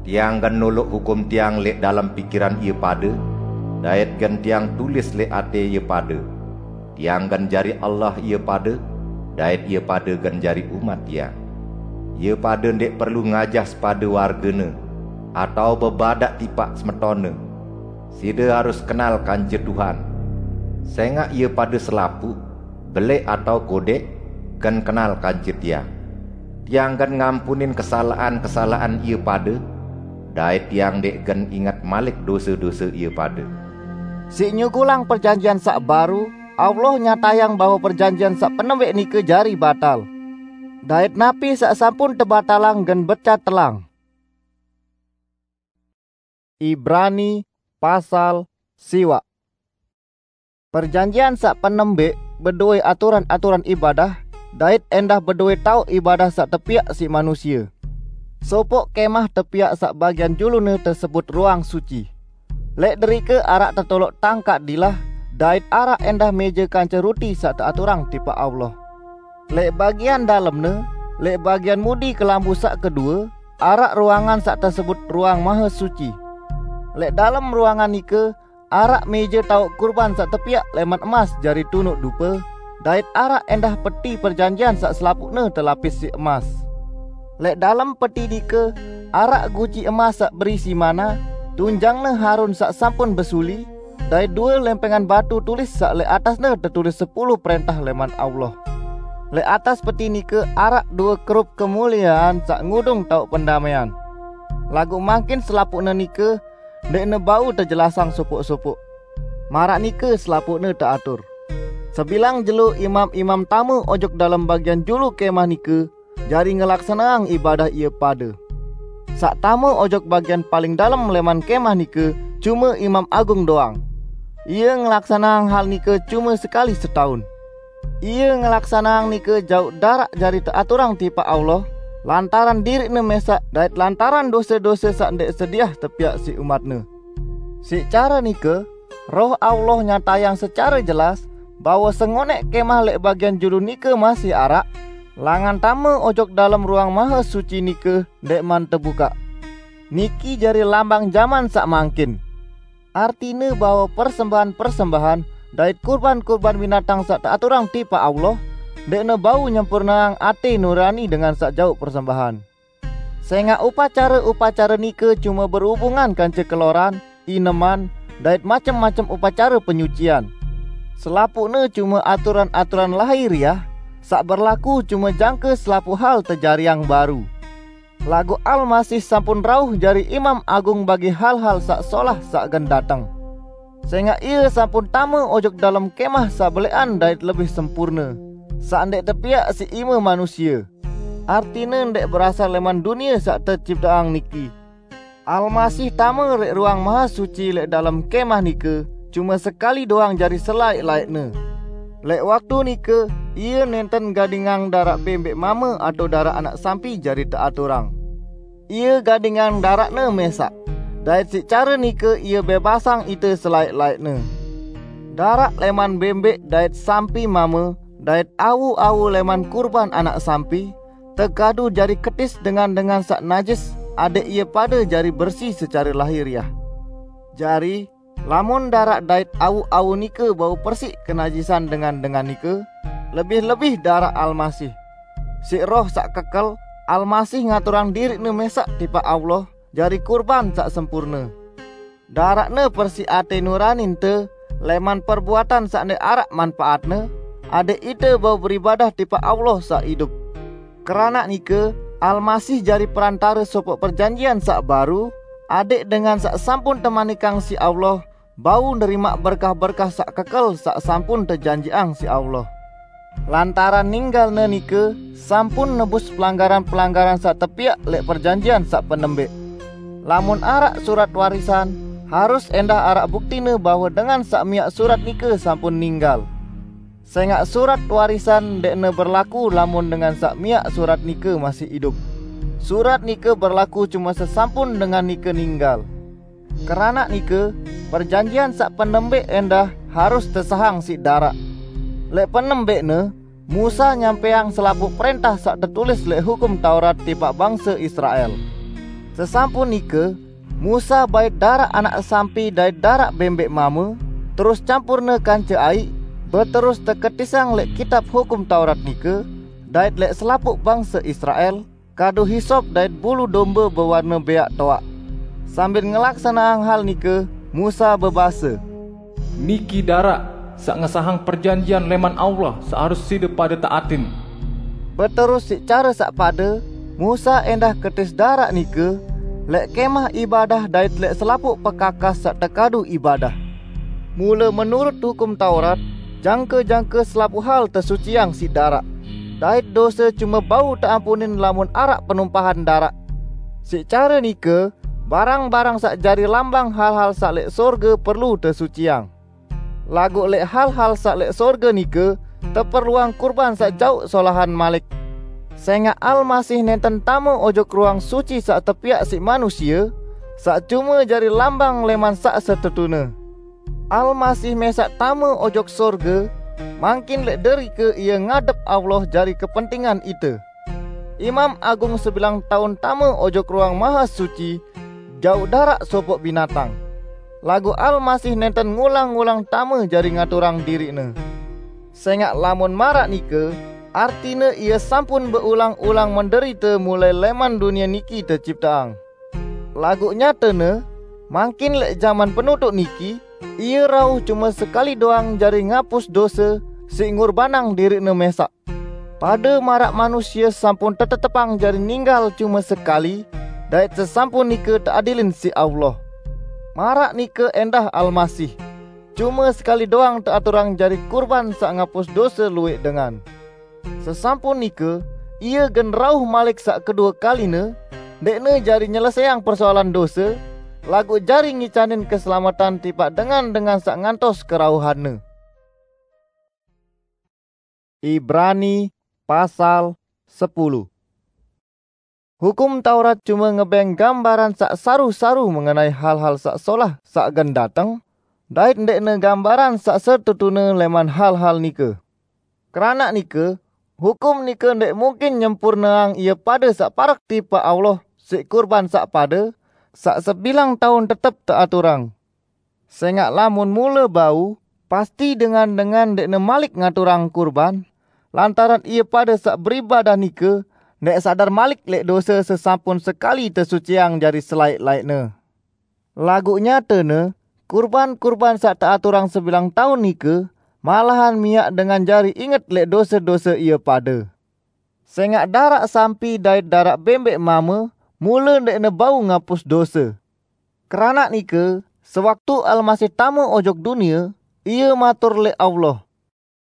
Tiang gen noloq hukum Tiang leq dalem pikiran ie pade, dait gen Tiang tulis leq ate ie pade. Tiang gen jari Allah ie pade, dait ie pade gen jari umat Tiang. Ie pade ndeq perlu ngajah sepade wargene, atao bebadaq tipaq semetonne. Side harus kenal kance Tuhan. Sengaq ie pade selapuq, beleq atao kodeq, gen kenal kance Tiang. Tiang gen ngampunin kesalaqan-kesalaqan ie pade, dait Tiang ndeq gen inget malik dose-dose ie pade." Siq nyugulang perjanjian saq baru, Allah nyatayang bahwe perjanjian saq penembeq nike jari batal. Dait napi saq sampun tebatalang gen becat telang. Ibrani pasal siwaq. Perjanjian saq penembeq bedowe aturan-aturan ibadah, dait endah bedowe taoq ibadah saq tepiaq siq manusie. Sopoq kemah tepiaq saq bagian julune tesebut Ruang Suci. Leq derike araq tetoloq tangkaq dilah, dait araq endah meje kance ruti saq teaturang tipaq Allah. Leq bagian dalemne, leq bagian mudi kelambu saq kedue, araq ruangan saq tesebut Ruang Mahe Suci. Leq dalem ruangan nike araq meje taoq kurban saq tepiaq leman emas jari tunuq dupe, dait araq endah Peti Perjanjian saq selapuqne telapis siq emas. Leq dalem peti nike araq guci emas saq berisi manna, tunjangne Harun saq sampun besuli, dait due lempengan batu tulis saq leq atasne tetulis sepulu prentah leman Allah. Leq atas peti nike araq due kerup kemuliean saq ngudung taoq pendamaian. Laguq mangkin selapuqne nike ndeqne bau tejelasang sopoq-sopoq. Maraq nike selapuqne teatur. Sebilang jelo imam-imam tame ojok dalem bagian julu kemah nike jari ngelaksaneang ibadah ie pade. Saq tame ojok bagian paling dalem leman kemah nike cume imam agung doang. Ie ngelaksaneang hal nike cume sekali setaun. Ie ngelaksaneang nike jauq daraq jari teaturang tipaq Allah, lantaran diriqne mesaq dait lantaran dose-dose saq ndeq sediah tepiaq siq umatne. Siq care nike, Roh Allah nyatayang secare jelas bahwa sengoneq kemah leq bagian julu nike masih araq, langan tame ojok dalem Ruang Mahesuci nike ndeqman tebukaq. Niki jari lambang jaman saq mangkin. Artine bahwe persembahan-persembahan dait kurban-kurban binatang saq teaturang tipaq Allah, ndeqne bau nyempurneang ate nurani dengan saq jauq persembahan. Sengaq upacare-upacare nike cume berhubungan kance keloran, ineman, dait macem-macem upacare penyucian. Selapuqne cume aturan-aturan lahiriah, saq berlaku cume jangke selapuq hal tejariang baru. Laguq Almasih sampun rauh jari Imam Agung bagi hal-hal saq solah saq gen dateng. Sengaq Ie sampun tame ojok dalem kemah saq beleqan dait lebih sempurne, saq ndeq tepiaq siq ime manusie, artine ndeq berasal leman dunie saq tecipteang niki. Almasih tame leq Ruang Mahesuci leq dalem kemah nike cume sekali doang jari selaeq-laeqne. Leq waktu nike Ie nenten gadingang daraq bembeq mame atao daraq anak sampi jari teaturang. Ie gadingang daraqne mesaq, dait siq care nike Ie bebasang ite selaeq-laeqne. Daraq leman bembeq dait sampi mame dait awu-awu leman kurban anak sampi tekadu jari ketis dengan-dengan saq najis, adẽq ie pade jari bersi secare lahiriah. Jari, lamun daraq dait awu-awu nike bau persiq kenajisan dengan-dengan nike, lebih-lebih daraq Almasih. Siq Roh saq kekel, Almasih ngaturang diriq-Ne mesaq tipaq Allah jari kurban saq sempurne. Daraq-Ne persiq ate nuraninte leman perbuatan saq ndeq araq manpaatne, adẽq ite bau beribadah tipaq Allah saq idup. Keranaq nike, Almasih jari perantare sopoq perjanjian saq baru, adẽq dengan saq sampun temanikang siq Allah bau nerimaq berkah-berkah saq kekel saq sampun tejanjiqang siq Allah. Lantaran ninggal-Ne nike sampun nebus pelanggaran-pelanggaran saq tepiaq leq perjanjian saq penembeq. Lamun araq surat warisan, harus endah araq buktine bahwe dengan saq miaq surat nike sampun ninggal. Sengaq surat warisan ndeqne berlaku lamun dengan saq miaq surat nike masih idup. Surat nike berlaku cume sesampun dengan nike ninggal. Keranaq nike, perjanjian saq penembeq endah harus tesahang siq daraq. Leq penembeqne, Musa nyampaiang selapuq prẽntah saq tetulis leq Hukum Taurat tipaq bangse Israel. Sesampun nike, Musa bait daraq anak sampi dait daraq bembeq mame, terus campurne kance aiq, beterus teketisang leq kitab Hukum Taurat nike, dait leq selapuq bangse Israel, kadu hisop dait bulu dombe bewarne beaq toaq. Sambil ngelaksaneang hal nike, Musa bebase, "Niki daraq saq ngesahang perjanjian leman Allah saq harus side pade taatin." Beterus siq care saq pade, Musa endah ketis daraq nike leq kemah ibadah dait leq selapuq pekakas saq tekadu ibadah. Mule menurut Hukum Taurat, jangke-jangke selapuq hal tesuciang siq daraq, dait dose cume bau teampunin lamun araq penumpahan daraq. Siq care nike, barang-barang saq jari lambang hal-hal saq leq sorge perlu tesuciang. Laguq leq hal-hal saq leq sorge nike teperluang kurban saq jauq solahan malik. Sengaq Almasih nenten tame ojok Ruang Suci saq tepiaq siq manusie, saq cume jari lambang leman saq setetune. Almasih mesaq tame ojok sorge, mangkin leq derike Ie ngadep Allah jari kepentingan ite. Imam Agung sebilang taun tame ojok Ruang Mahesuci jauq daraq sopoq binatang. Laguq Almasih nenten ngulang-ngulang tame jari ngaturang diriq-Ne. Sengaq lamun maraq nike, artine Ie sampun beulang-ulang menderite mulai leman dunie niki tecipteang. Laguq nyatene, mangkin leq jaman penutuq niki, Ie rauh cume sekali doang jari ngapus dose siq ngurbanang diriq-Ne mesaq. Pade maraq manusie sampun tetetepang jari ninggal cume sekali, dait sesampun nike teadilin siq Allah. Maraq nike endah Almasih, cume sekali doang teaturang jari kurban saq ngapus dose lueq dengan. Sesampun nike, Ie gen rauh malik saq kedue kaline, ndeqne jari nyelesaiang persoalan dose, laguq jari ngicanin keselamatan tipaq dengan-dengan saq ngantos kerauhan-Ne. Ibrani pasal sepuluh. Hukum Taurat cume ngebeng gambaran saq saru-saru mengenai hal-hal saq solah saq gen dateng, dait ndẽqne gambaran saq setetune leman hal-hal nike. Keranaq nike, hukum nike ndẽq mungkin nyempurneang ie pade saq parek tipaq Allah siq kurban saq pade, saq sebilang taun tetep teaturang. Sẽngaq lamun mule bau, pasti dengan-dengan ndẽqne malik ngaturang kurban, lantaran ie pade saq beribadah nike ndẽq sadar malik lẽq dose sesampun sekali tesuciang jari selaẽq-laẽqne. Laguq nyatene, kurban-kurban saq teaturang sebilang taun nike malahan miaq dengan jari inget lẽq dose-dose ie pade. Sẽngaq daraq sampi dait daraq bẽmbeq mame mule ndẽqne bau ngapus dose. Keranaq nike, sewaktu Almasih tame ojok dunie, Ie matur lẽq Allah,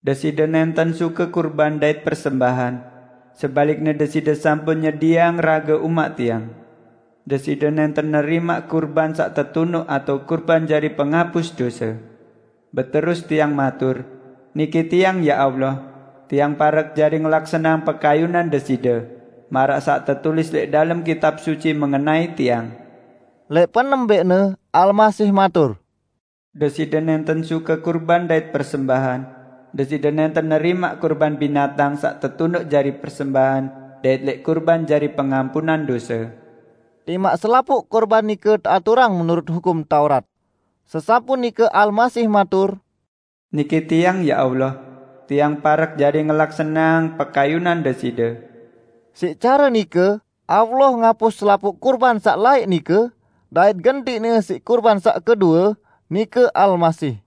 "Deside nẽnten suke kurban dait persembahan. Sebalikne, Deside sampun nyedieang rage umaq Tiang. Deside nẽnten nerimaq kurban saq tetunuq atao kurban jari pengapus dose. Beterus Tiang matur, 'Niki Tiang, ya Allah, Tiang parek jari ngelaksaneang pekayunan Deside, maraq saq tetulis lẽq dalem Kitab Suci mengenai Tiang.'" Lẽq penembẽqne, Almasih matur, "Deside nẽnten suke kurban dait persembahan. Deside nẽnten nerimaq kurban binatang saq tetunuq jari persembahan dait lẽq kurban jari pengampunan dose." Timaq selapuq kurban nike teaturang menurut Hukum Taurat. Sesampun nike Almasih matur, "Niki Tiang, ya Allah, Tiang parek jari ngelaksaneang pekayunan Deside." Siq care nike, Allah ngapus selapuq kurban saq laẽq nike, dait gentiqne siq kurban saq kedue, nike Almasih.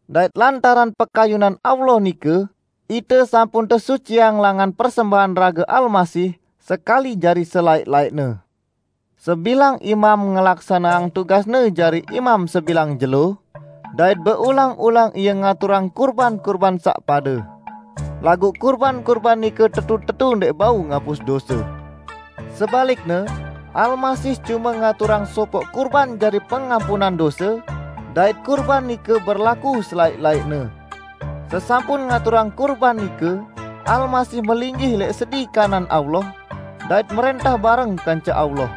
Dait lantaran pekayunan Allah nike, ite sampun tesuciang langan persembahan rage Almasih sekali jari selaẽq-laẽqne. Sebilang imam ngelaksaneang tugasne jari imam sebilang jelo, dait beulang-ulang ie ngaturang kurban-kurban saq pade. Laguq kurban-kurban nike tetu-tetu ndẽq bau ngapus dose. Sebalikne, Almasih cume ngaturang sopoq kurban jari pengampunan dose, dait kurban nike berlaku selaẽq-laẽqne. Sesampun ngaturang kurban nike, Almasih melinggih lẽq sedi kanan Allah, dait merẽntah bareng kance Allah.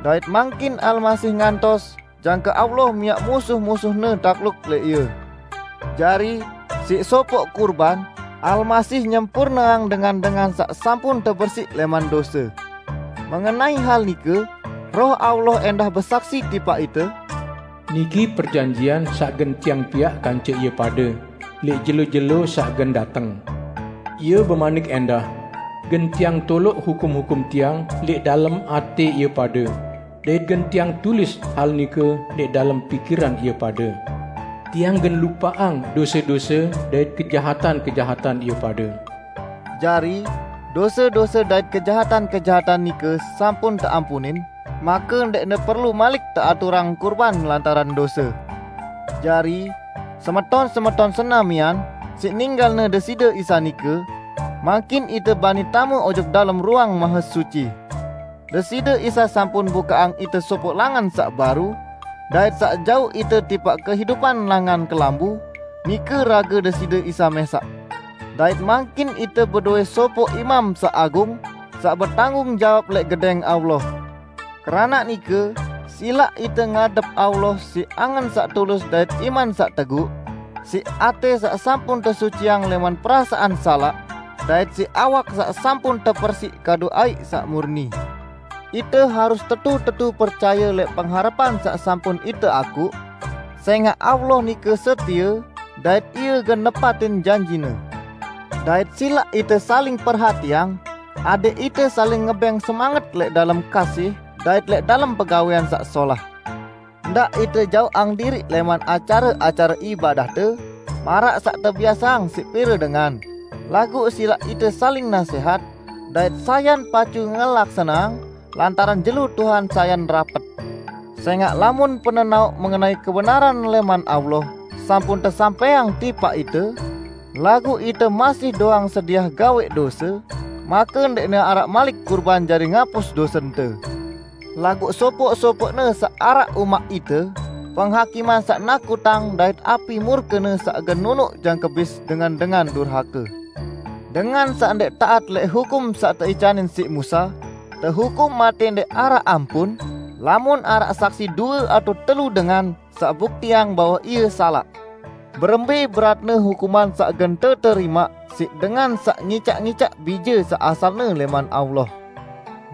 Dait mangkin Almasih ngantos jangke Allah miaq musuh-musuhne takluk lẽq Ie. Jari, siq sopoq kurban, Almasih nyempurneang dengan-dengan saq sampun tebersiq lẽman dose. Mengenai hal nike, Roh Allah endah besaksi tipaq ite, "Niki perjanjian saq gen Tiang piaq kance ie pade lẽq jelo-jelo saq gen dateng. Ie bemanik endah, gen Tiang toloq hukum-hukum Tiang lẽq dalem atẽ ie pade, dait gen Tiang tulis hal nike lẽq dalem pikiran ie pade. Tiang gen lupaqang dose-dose dait kejahatan-kejahatan ie pade." Jari, dose-dose dait kejahatan-kejahatan nike sampun teampunin, make ndẽqne perlu malik teaturang kurban lantaran dose. Jari, semeton-semeton senamian, siq ninggalne Deside Isa nike, mangkin ite bani tame ojok dalem Ruang Mahesuci. Deside Isa sampun bukaqang ite sopoq langan saq baru, dait saq jauq ite tipaq kehidupan langan kelambu, nike rage Deside Isa mẽsaq. Dait mangkin ite bedowe sopoq Imam Saq Agung saq betanggung jawab lẽq gedẽng Allah. Keranaq nike, silaq ite ngadep Allah siq angen saq tulus dait iman saq teguq, siq atẽ saq sampun tesuciang lẽman perasaan salaq, dait siq awak saq sampun tepersiq kadu aiq saq murni. Ite harus tetu-tetu percaye lẽq pengharepan saq sampun ite akuq, sẽngaq Allah nike setie, dait Ie gen nepatin janji-Ne. Dait silaq ite saling perhatiang, adẽq ite saling ngebẽng semanget lẽq dalem kasih dait lẽq dalem pegawẽan saq solah. Ndaq ite jauqang diriq lẽman acare-acare ibadahte, maraq saq tebiaseang siq pire dengan, laguq silaq ite saling nasẽhat, dait sayan pacu ngelaksaneang, lantaran jelo Tuhan sayan rapet. Sẽngaq lamun penenauq mengenai kebenaran lẽman Allah sampun tesampẽang tipaq ite, laguq ite masih doang sediah gaweq dose, make ndẽqne araq malik kurban jari ngapus dosente. Laguq sopoq-sopoqne saq araq umaq ite, penghakiman saq nakutang dait api murkene saq gen nunuq jangke bis dengan-dengan durhake. Dengan saq ndẽq taat lẽq hukum saq teicanin siq Musa, tehukum matẽ ndẽq araq ampun, Lamun araq saksi due atau telu dengan saq buktiang bahwe ie salaq, berembe beratne hukuman saq gen teterimaq siq dengan saq ngicaq-ngicaq bije saq asalne leman Allah.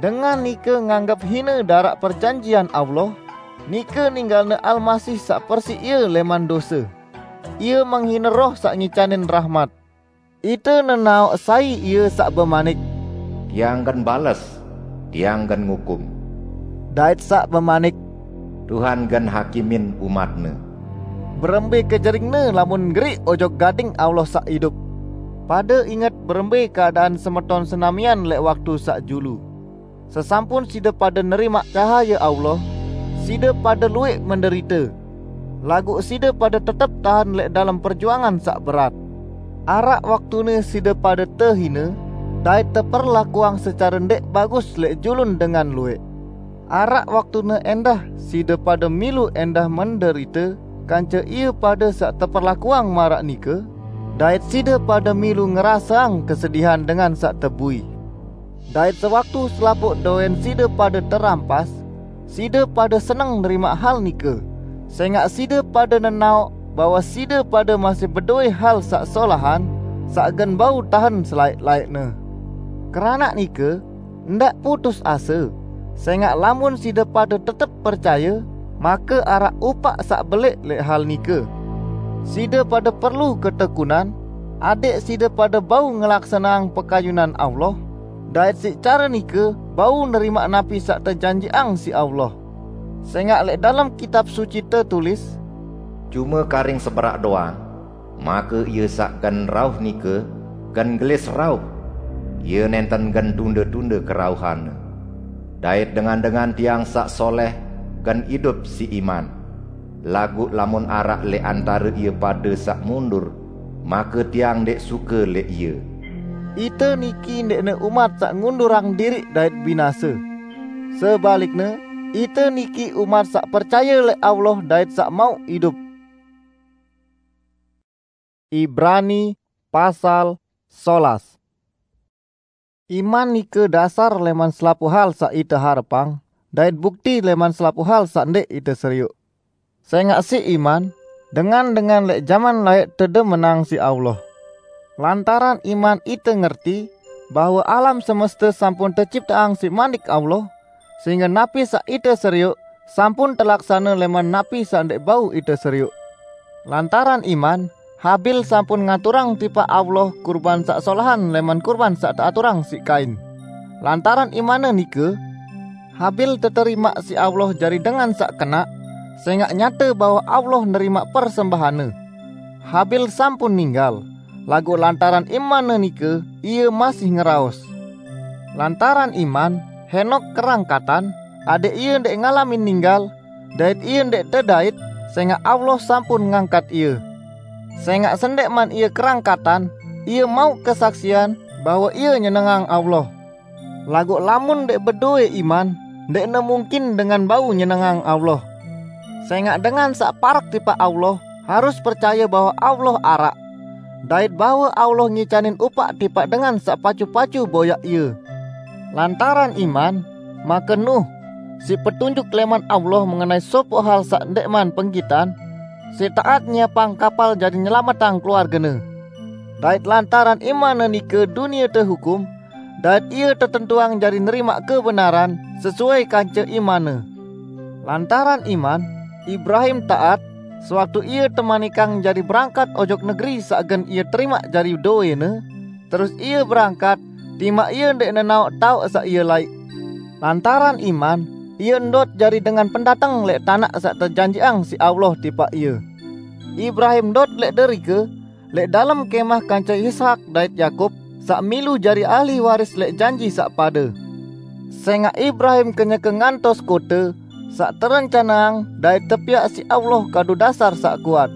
Dengan nike nganggep hine daraq perjanjian Allah, nike ninggalne Almasih saq persiq ie leman dose. Ie menghine Roh saq ngicanin rahmat. Ite nenaoq sai Ie saq bemanik, "Tiang gen bales, Tiang gen ngukum." Dait saq bemanik, "Tuhan gen hakimin umat-Ne." Berembe kejeringne lamun ngeriq ojok gading Allah saq idup! Pade inget berembe keadaan semeton senamian leq waktu saq julu. Sesampun side pade nerimaq cahaye Allah, side pade lueq menderite. Laguq side pade tetep tahen leq dalem perjuangan saq berat. Araq waktune side pade tehine dait teperlakuang secare ndeq bagus leq julun dengan lueq. Araq waktune endah side pade milu endah menderite kance ie pade saq teperlakuang maraq nike, dait side pade milu ngeraseang kesedihan dengan saq tebui. Dait sewaktu selapuq doen side pade terampas, side pade seneng nerimaq hal nike, sengaq side pade nenaoq bahwe side pade masih bedowe hal saq solahan, saq gen bau tahen selaeq-laeqne. Keranaq nike, ndaq putus ase, sengaq lamun side pade tetep percaye, make araq upaq saq beleq leq hal nike. Side pade perlu ketekunan, adẽq side pade bau ngelaksaneang pekayunan Allah, dait siq care nike bau nerimaq napi saq tejanjiqang siq Allah. Sengaq leq dalem Kitab Suci tetulis, "Cume karing seberaq doang, make Ie saq gen rauh nike gen gelis rauh. Ie nenten gen tunde-tunde kerauhan-Ne. Dait dengan-dengan Tiang saq soleh gen idup siq iman. Laguq lamun araq leq antare ie pade saq mundur, make Tiang ndeq suke leq ie." Ite niki ndeqne umat saq ngundurang diriq dait binase. Sebalikne, ite niki umat saq percaye leq Allah dait saq mauq idup. Ibrani pasal solas. Iman nike dasar leman selapuq hal saq ite harepang, dait bukti leman selapuq hal saq ndeq ite serioq. Sengaq siq iman, dengan-dengan leq jaman laeq tedemenang siq Allah. Lantaran iman ite ngerti bahwe alam semeste sampun tecipteang siq manik Allah, sehingge napi saq ite serioq sampun telaksane leman napi saq ndeq bau ite serioq. Lantaran iman, Habil sampun ngaturang tipaq Allah kurban saq solahan leman kurban saq teaturang siq Kain. Lantaran imanne nike, Habil teterimaq siq Allah jari dengan saq kenaq, sengaq nyate bahwe Allah nerimaq persembahanne. Habil sampun ninggal, laguq lantaran imanne nike, ie masih ngeraos. Lantaran iman, Henok kerangkatan, adẽq ie ndeq ngalamin ninggal, dait ie ndeq tedait, sengaq Allah sampun ngangkat ie. Sengaq sendeqman ie kerangkatan, ie mauq kesaksian bahwe ie nyenengang Allah. Laguq lamun ndeq bedowe iman, ndeqne mungkin dengan bau nyenengang Allah. Sengaq dengan saq parek tipaq Allah harus percaye bahwe Allah araq, dait bahwe Allah ngicanin upaq tipaq dengan saq pacu-pacu boyaq ie. Lantaran iman, make Nuh, siq petunjuk leman Allah mengenai sopoq hal saq ndeqman penggitan, siq taat nyiapang kapal jari nyelametang keluargene. Dait lantaran imanne nike dunie tehukum, dait ie tetentuang jari nerimaq kebenaran sesuai kance imanne. Lantaran iman, Ibrahim taat, sewaktu ie temanikang jari berangkat ojok negeri saq gen ie terimaq jari dowene, terus ie berangkat, timaq ie ndeq nenaoq taoq saq ie laiq. Lantaran iman, ie ndot jari dengan pendateng leq tanaq saq tejanjiqang siq Allah tipaq ie. Ibrahim ndot leq derike, leq dalem kemah kance Ishak dait Yakub, saq milu jari ahli waris leq janji saq pade. Sengaq Ibrahim kenyeke ngantos kote saq terencaneang dait tepiaq siq Allah kadu dasar saq kuat.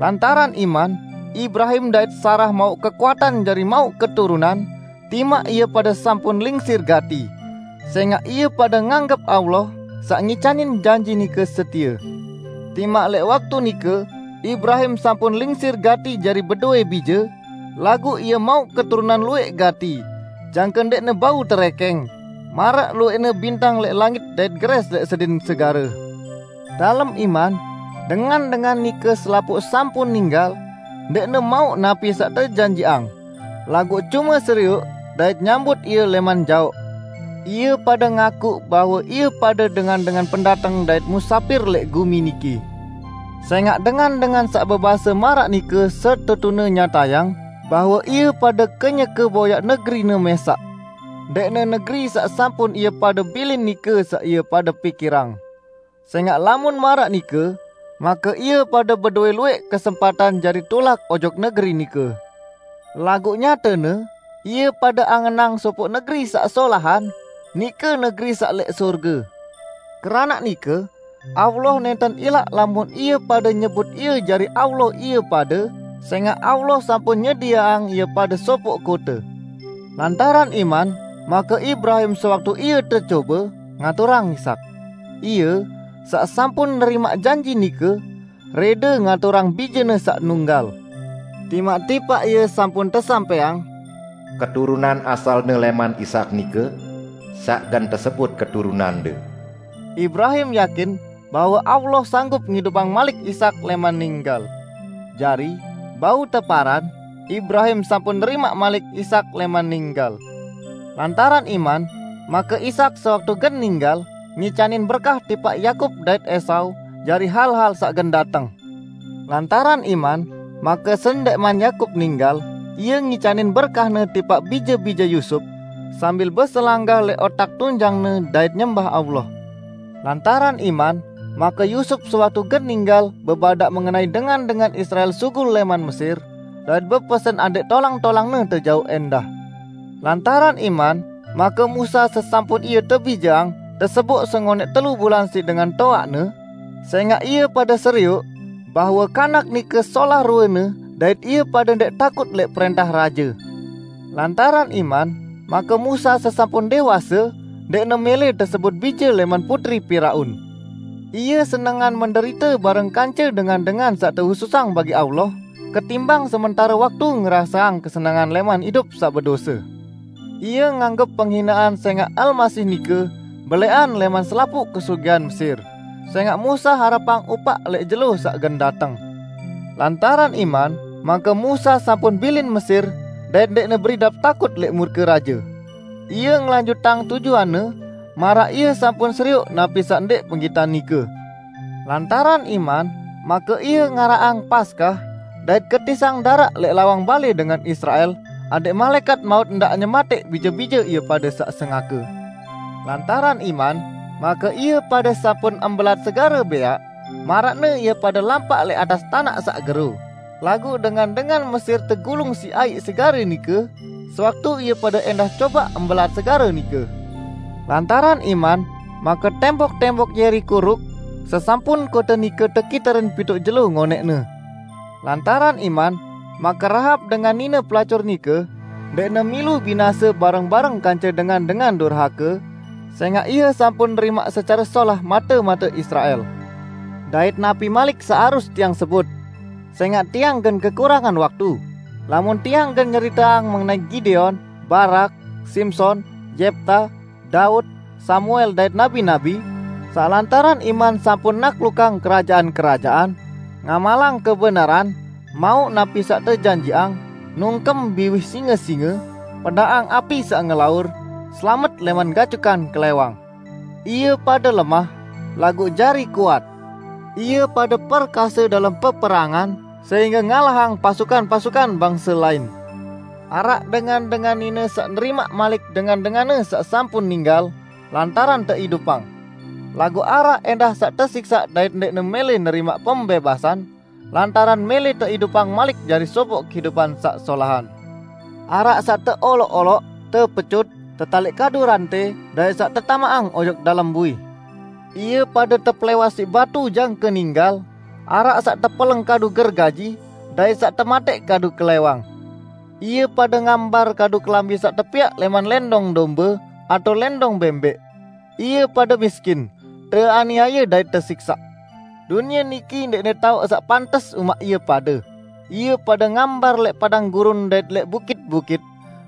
Lantaran iman, Ibrahim dait Sarah mauq kekuatan jari mauq keturunan, timaq ie pade sampun lingsir gati, sengaq ie pade nganggep Allah, saq ngicanin janji nike setie. Timaq leq waktu nike, Ibrahim sampun lingsir gati jari bedowe bije, laguq ie mauq keturunan lueq gati, jangke ndeqne bau terekeng. Maraq lueqne bintang leq langit dait geres leq sedin segare. Dalem iman, dengan-dengan nike selapuq sampun ninggal, ndeqne mauq napi saq tejanjiqang, laguq cume serioq dait nyambut ie leman jaoq. Ie pade ngakuq bahwe ie pade dengan-dengan pendateng dait musapir leq gumi niki. Sengaq dengan-dengan saq bebase maraq nike setetune nyatayang bahwe ie pade kenyeke boyaq negerine mesaq, ndeqne negeri saq sampun ie pade bilin nike saq ie pade pikirang. Sengaq lamun maraq nike, make ie pade bedowe lueq kesempatan jari tulak ojok negeri nike. Laguq nyatene, ie pade angenang sopoq negeri saq solahan, nike negeri saq leq sorge. Keranaq nike, Allah nenten ilaq lamun ie pade nyebut ie jari Allah ie pade, sengaq Allah sampun nyedieang ie pade sopoq kote. Lantaran iman, make Ibrahim sewaktu ie tecobe, ngaturang Ishak. Ie, saq sampun nerimaq janji nike, rede ngaturang bijene saq nunggal. Timaq tipaq ie sampun tesampaiang, "Keturunan asalne leman Ishak nike, saq gen tesebut keturunande." Ibrahim yakin bahwe Allah sanggup ngidupang malik Ishak leman ninggal. Jari, bau teparan, Ibrahim sampun nerimaq malik Ishak leman ninggal. Lantaran iman, make Ishak sewaktu gen ninggal, ngicanin berkah tipaq Yakub dait Esau jari hal-hal saq gen dateng. Lantaran iman, make sendeqman Yakub ninggal, ie ngicanin berkahne tipaq bije-bije Yusup, sambil beselanggah leq otak tunjangne dait nyembah Allah. Lantaran iman, make Yusup sewaktu gen ninggal bebadaq mengenai dengan-dengan Israel sugul leman Mesir, dait bepesen adeq tolang-tolangne tejaoq endah. Lantaran iman, make Musa sesampun ie tebijeang, teseboq sengoneq telu bulan siq dengan toaqne, sengaq ie pade serioq bahwe kanak nike solah ruene dait ie pade ndeq takut leq prentah raje. Lantaran iman, make Musa sesampun dewase, ndeqne mele tesebut bije leman putri Piraun. Ie senengan menderite bareng kance dengan-dengan saq tehususang bagi Allah, ketimbang sementare waktu ngeraseang kesenengan leman idup saq bedose. Ie nganggep penghinaan sengaq Almasih nike beleqan leman selapuq kesugihan Mesir, sengaq Musa harepang upaq leq jelo saq gen dateng. Lantaran iman, make Musa sampun bilin Mesir dait ndeqne beridap takut leq murke raje. Ie ngelanjutang tujuanne, maraq ie sampun serioq napi saq ndeq penggitan nike. Lantaran iman, make ie ngaraqang Paskah, dait ketisang daraq leq lawang bale dengan Israel, adeq malaekat maut ndaq nyemateq bije-bije ie pade saq sengake. Lantaran iman, make ie pade sampun embelat segare beaq, maraqne ie pade lampaq leq atas tanaq saq gero. Laguq dengan-dengan Mesir tegulung siq aiq segare nike, sewaktu ie pade endah cobaq embelat segare nike. Lantaran iman, make tembok-tembok Yerikho ruk, sesampun kote nike tekiteren pituq jelo ngoneqne. Lantaran iman, make Rahab dengan nine pelacur nike, ndeqne milu binase bareng-bareng kance dengan-dengan durhake, sengaq ie sampun nerimaq secare solah mate-mate Israel. Dait napi malik saq arus tiang sebut? Sengaq tiang gen kekurangan waktu. Lamun tiang gen nyeriteang mengenai Gideon, Barak, Simson, Yepta, Daud, Samuel dait nabi-nabi, saq lantaran iman sampun naklukang kerajaan-kerajaan, ngamalang kebenaran, mauq napi saq tejanjiqang, nungkem biwih singe-singe, pedaqang api saq ngelaur, selamet leman gajukan kelewang. Ie pade lemah, laguq jari kuat. Ie pade perkase dalem peperangan, sehingge ngalahang pasukan-pasukan bangse lain. Araq dengan-dengan nine saq nerimaq malik dengan-denganne saq sampun ninggal, lantaran teidupang. Laguq araq endah saq tesiksaq dait ndeqne mele nerimaq pembebasan, lantaran mele teidupang malik jari sopoq kehidupan saq solahan. Araq saq teoloq-oloq, tepecut, tetaliq kadu rante, dait saq tetamaqang ojok dalem bui. Ie pade tepelewas siq batu jangke ninggal, araq saq tepeleng kadu gergaji, dait saq temateq kadu kelewang. Ie pade ngambar kadu kelambi saq tepiaq leman lendong dombe atao lendong bembeq. Ie pade miskin, teaniaye dait tesiksaq. Dunie niki ndeqne taoq saq pantes umaq ie pade. Ie pade ngambar leq padang gurun dait leq bukit-bukit,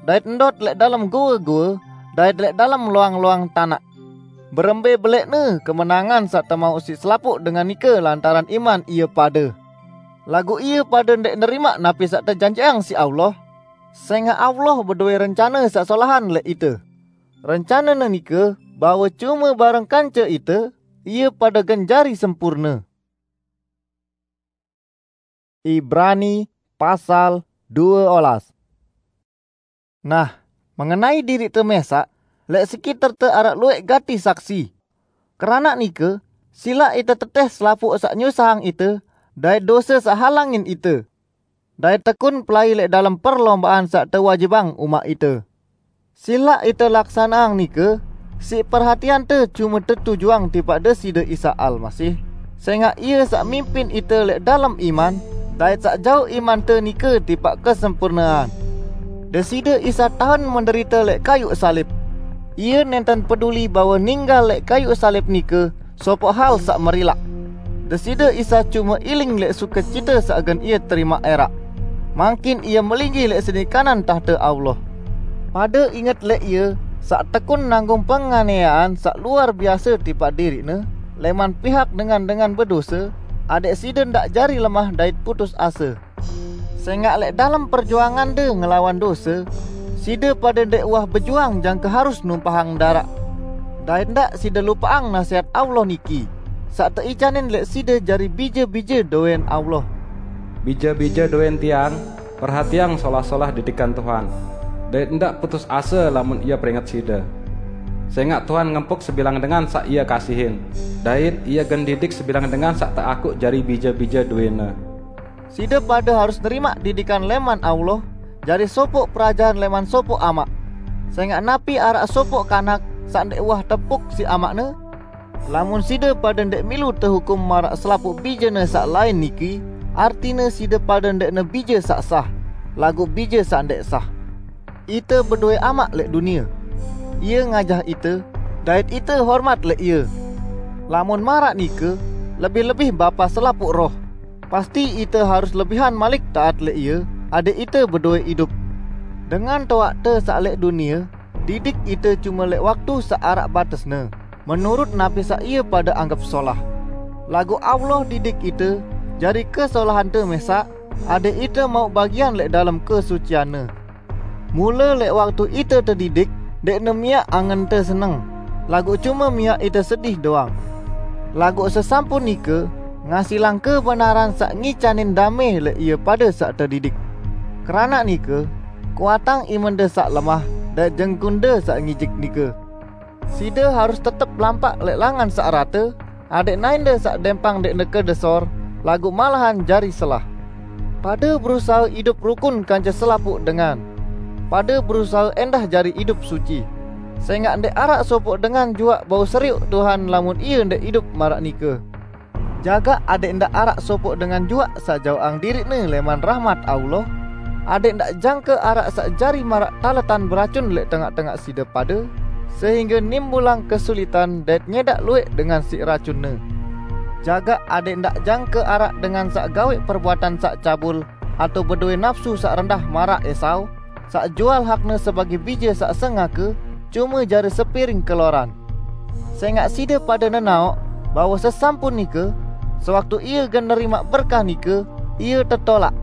dait ndot leq dalem goe-goe, dait lek dalem loang-loang tanak. Berembe belekne kemenangan saq temauq siq selapuq dengan nike lantaran iman ie pade. Laguq ie pade ndeq nerimaq napi saq tejanjiqang siq Allah, sengaq Allah bedowe rencane saq solahan lek ite. Rencanene nike bahwe cume bareng kance ite, ie pade gen jari sempurne. Ibrani pasal due olas. Nah, mengenai diriqte mesaq, lek sekiterte araq lueq gati saksi. Keranaq nike, silaq ite teteh selapuq saq nyusahang ite, dait dose saq halangin ite. Dait tekun pelai lek dalem perlombaan saq tewajibang umaq ite. Silaq ite laksaneang nike siq perhatiante cume tetujuang tipaq Deside Isa Almasih, sengaq Ie saq mimpin ite lek dalem iman, dait saq jauq imante nike tipaq kesempurnean. Deside Isa tahen menderite lek kayuq salib. Ie nenten peduli bahwe ninggal lek kayuq salib nike sopoq hal saq merilaq. Deside Isa cume iling lek sukecite saq gen Ie terimaq eraq. Mangkin Ie melinggih lek sedi kanan tahte Allah. Pade inget lek Ie saq tekun nanggung penganiayaan saq luar biase tipaq diriq-Ne leman pihak dengan-dengan bedose, adeq side ndaq jari lemah dait putus ase. Sengaq lek dalem perjuangande ngelawan dose, side pade ndeq uwah bejuang jangke harus numpahang daraq. Dait ndaq side lupaqang nasehat Allah niki, saq teicanin lek side jari bije-bije doween Allah. Bije-bije doween tiang, perhatiang solah-solah didikan Tuhan, dait ndaq putus ase lamun Ie peringet side. Sengaq Tuhan ngempuk sebilang dengan saq Ie kasihin, dait Ie gen didik sebilang dengan saq teakuq jari bije-bije doween-Ne. Side pade harus nerimaq didikan leman Allah, jari sopoq perajahan leman sopoq amaq. Sengaq napi araq sopoq kanak saq ndeq uwah tepuk siq amaqne? Lamun side pade ndeq milu tehukum maraq selapuq bijene saq lain niki, artine side pade ndeqne bije saq sah, laguq bije saq ndeq sah. Ite bedowe amaq lek dunie. Ie ngajah ite, dait ite hormat lek ie. Lamun maraq nike, lebih-lebih Bapa selapuq roh, pasti ite harus lebihan malik taat lek ie, adeq ite bedowe idup. Dengan toaqte saq lek dunie didik ite cume lek waktu saq araq batesne, menurut napi saq ie pade anggep solah. Laguq Allah didik ite jari kesolahante mesaq, adeq ite mauq bagian lek dalem kesucian-Ne. Mule lek waktu ite tedidik, ndeqne miaq angente seneng, laguq cume miaq ite sedih doang. Laguq sesampun nike, ngasilang kebenaran saq ngicanin dame lek ie pade saq tedidik. Keranaq nike, kuatang imende saq lemah dait jengkunde saq ngijik nike. Side harus tetep lampaq lek langan saq rate, adeq naende saq dempang ndeqne kedesor, laguq malahan jari selah. Pade berusahe idup rukun kance selapuq dengan. Pade berusahe endah jari idup suci. Sengaq ndeq araq sopoq dengan juaq bau serioq Tuhan lamun ie ndeq idup maraq nike. Jagaq adeq ndaq araq sopoq dengan juaq saq jaoqang diriqne leman rahmat Allah, adeq ndaq jangke araq saq jari maraq taletan beracun lek tengaq-tengaq side pade, sehingge nimbulang kesulitan dait nyedaq lueq dengan siq racunne. Jagaq adeq ndaq jangke araq dengan saq gaweq perbuatan saq cabul, atau bedowe napsu saq rendah maraq Esau, saq jual hakne sebagei bije saq sengake, cume jari sepiring keloran. Sengaq side pade nenaoq bahwe sesampun nike, sewaktu ie gen nerimaq berkah nike, ie tetolaq.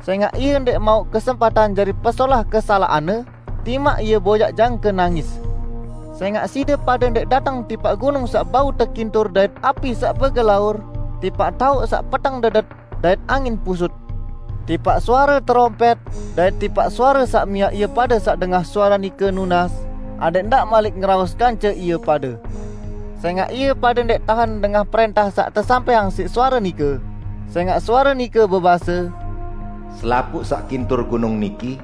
Sengaq ie ndeq mauq kesempatan jari pesolah kesalaqanne, timaq ie boyaq jangke nangis. Sengaq side pade ndeq dateng tipaq gunung saq bau tekintur dait api saq begelaur, tipaq taoq saq peteng dedet, dait angin pusut. Tipaq suare terompet, dait tipaq suare saq miaq ie pade saq dengah suare nike nunas, adeq ndaq malik ngeraos kance ie pade. Sengaq ie pade ndeq tahen dengah prentah saq tesampaiang siq suare nike. Sengaq suare nike bebase, "Selapuq saq kintur gunung niki,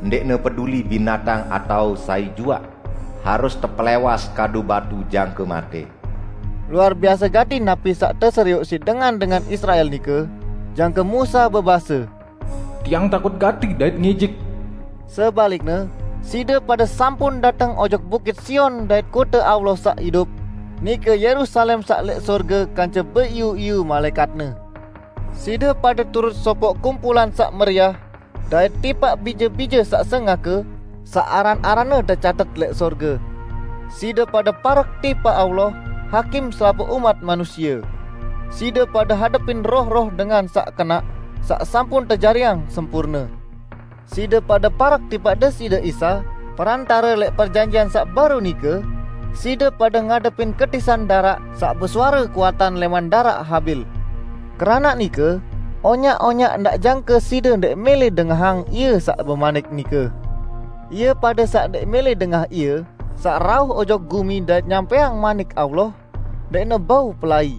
ndeqne peduli binatang atao sai juaq, harus tepelewas kadu batu jangke mate." Luar biase gati napi saq teserioq siq dengan-dengan Israel nike, jangke Musa bebase, "Tiang takut gati dait ngijik." Sebalikne, side pade sampun dateng ojok Bukit Sion dait kote Allah saq idup, nike Yerusalem saq leq sorge kance beiu-iu malaekatne. Side pade turut sopoq kumpulan saq meriah, dait tipaq bije-bije saq sengake, saq aran-aranne tecatet leq sorge. Side pade parek tipaq Allah, hakim selapuq umat manusie. Side pade hadepin roh-roh dengan saq kenaq, saq sampun tejariang sempurne. Side pade parek tipaq Deside Isa, perantare leq perjanjian saq baru nike. Side pade ngadepin ketisan daraq saq besuare kuatan leman daraq Habil. Keranaq nike, onyaq-onyaq ndaq jangke side ndeq mele dengahang Ie saq bemanik nike. Ie pade saq ndeq mele dengah Ie saq rauh ojok gumi dait nyampeang manik Allah, ndeqne bau pelai.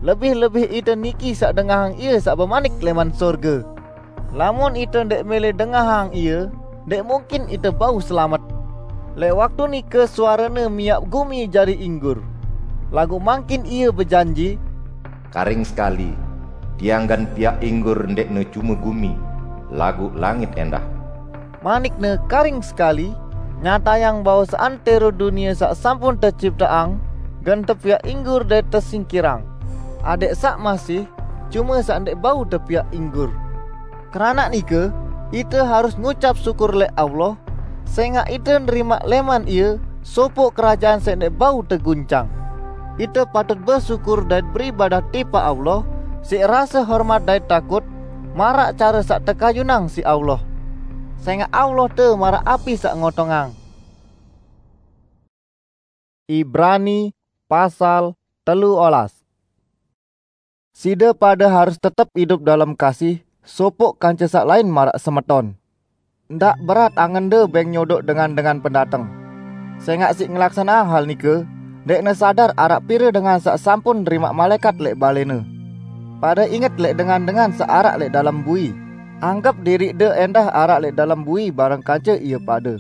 Lebih-lebih ite niki saq dengahang Ie saq bemanik leman sorge. Lamun ite ndeq mele dengahang Ie, ndeq mungkin ite bau selamet. Leq waktu nike suarene miaq gumi jari inggur. Laguq mangkin Ie bejanji, "Karing sekali, Tiang gen piaq inggur ndeqne cume gumi, laguq langit endah." Manikne karing sekali, nyatayang bahwe seantero dunie saq sampun tecipteang gen tepiaq inggur dait tesingkirang. Adeq saq masih, cume saq ndeq bau tepiaq inggur. Keranaq nike, ite harus ngucap syukur leq Allah, sengaq ite nerimaq leman Ie sopoq kerajaan saq ndeq bau teguncang. Ite patut besyukur dait beribadah tipaq Allah siq rase hormat dait takut, maraq care saq tekayunang siq Allah. Sengaq Allah te maraq api saq ngotongang. Ibrani pasal telu olas. Side pade harus tetep idup dalem kasih sopoq kance saq lain maraq semeton. Ndaq berat angende beng nyodoq dengan-dengan pendateng. Sengaq siq ngelaksaneang hal nike, ndeqne sadar araq pire dengan saq sampun nerimaq malaekat leq balene. Pade inget leq dengan-dengan saq araq leq dalem bui. Anggep diriqde endah araq leq dalem bui bareng kance ie pade.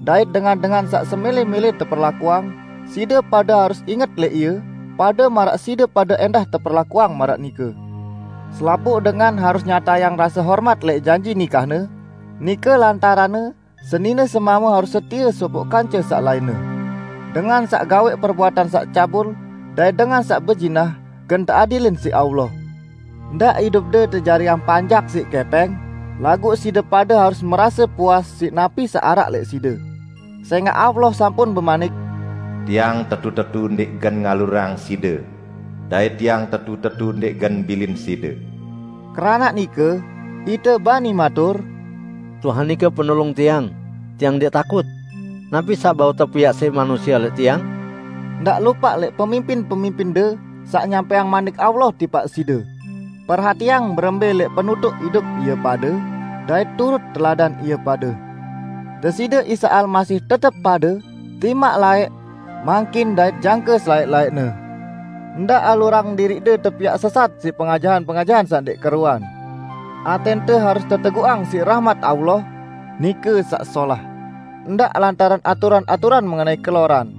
Dait dengan-dengan saq semele-mele teperlakuang, side pade harus inget leq ie, pade maraq side pade endah teperlakuang maraq nike. Selapuq dengan harus nyatayang rase hormat leq janji nikahne, nike lantaranne senine semame harus setie sopoq kance saq lainne. Dengan saq gaweq perbuatan saq cabul dait dengan saq bezinah gen teadilin siq Allah. Ndaq idupde tejariang panjak siq kepeng, laguq side pade harus merase puas siq napi saq araq leq side. Sengaq Allah sampun bemanik, "Tiang tetu-tetu ndeq gen ngalurang side, dait Tiang tetu-tetu ndeq gen bilin side." Keranaq nike, ite bani matur, "Tuhan nike penulung tiang, tiang ndeq takut. Napi saq bau tepiaq siq manusie leq tiang?" Ndaq lupaq leq pemimpin-pemimpinde saq nyampeang manik Allah tipaq side. Perhatiang berembe leq penutuq idup ie pade, dait turut teladan ie pade. Deside Isa Almasih tetep pade, timaq laeq, mangkin dait jangke selaeq-laeqne. Ndaq alurang diriqde tepiaq sesat siq pengajahan-pengajahan saq ndeq keruan. Atente harus teteguqang siq rahmat Allah, nike saq solah, ndaq lantaran aturan-aturan mengenai keloran.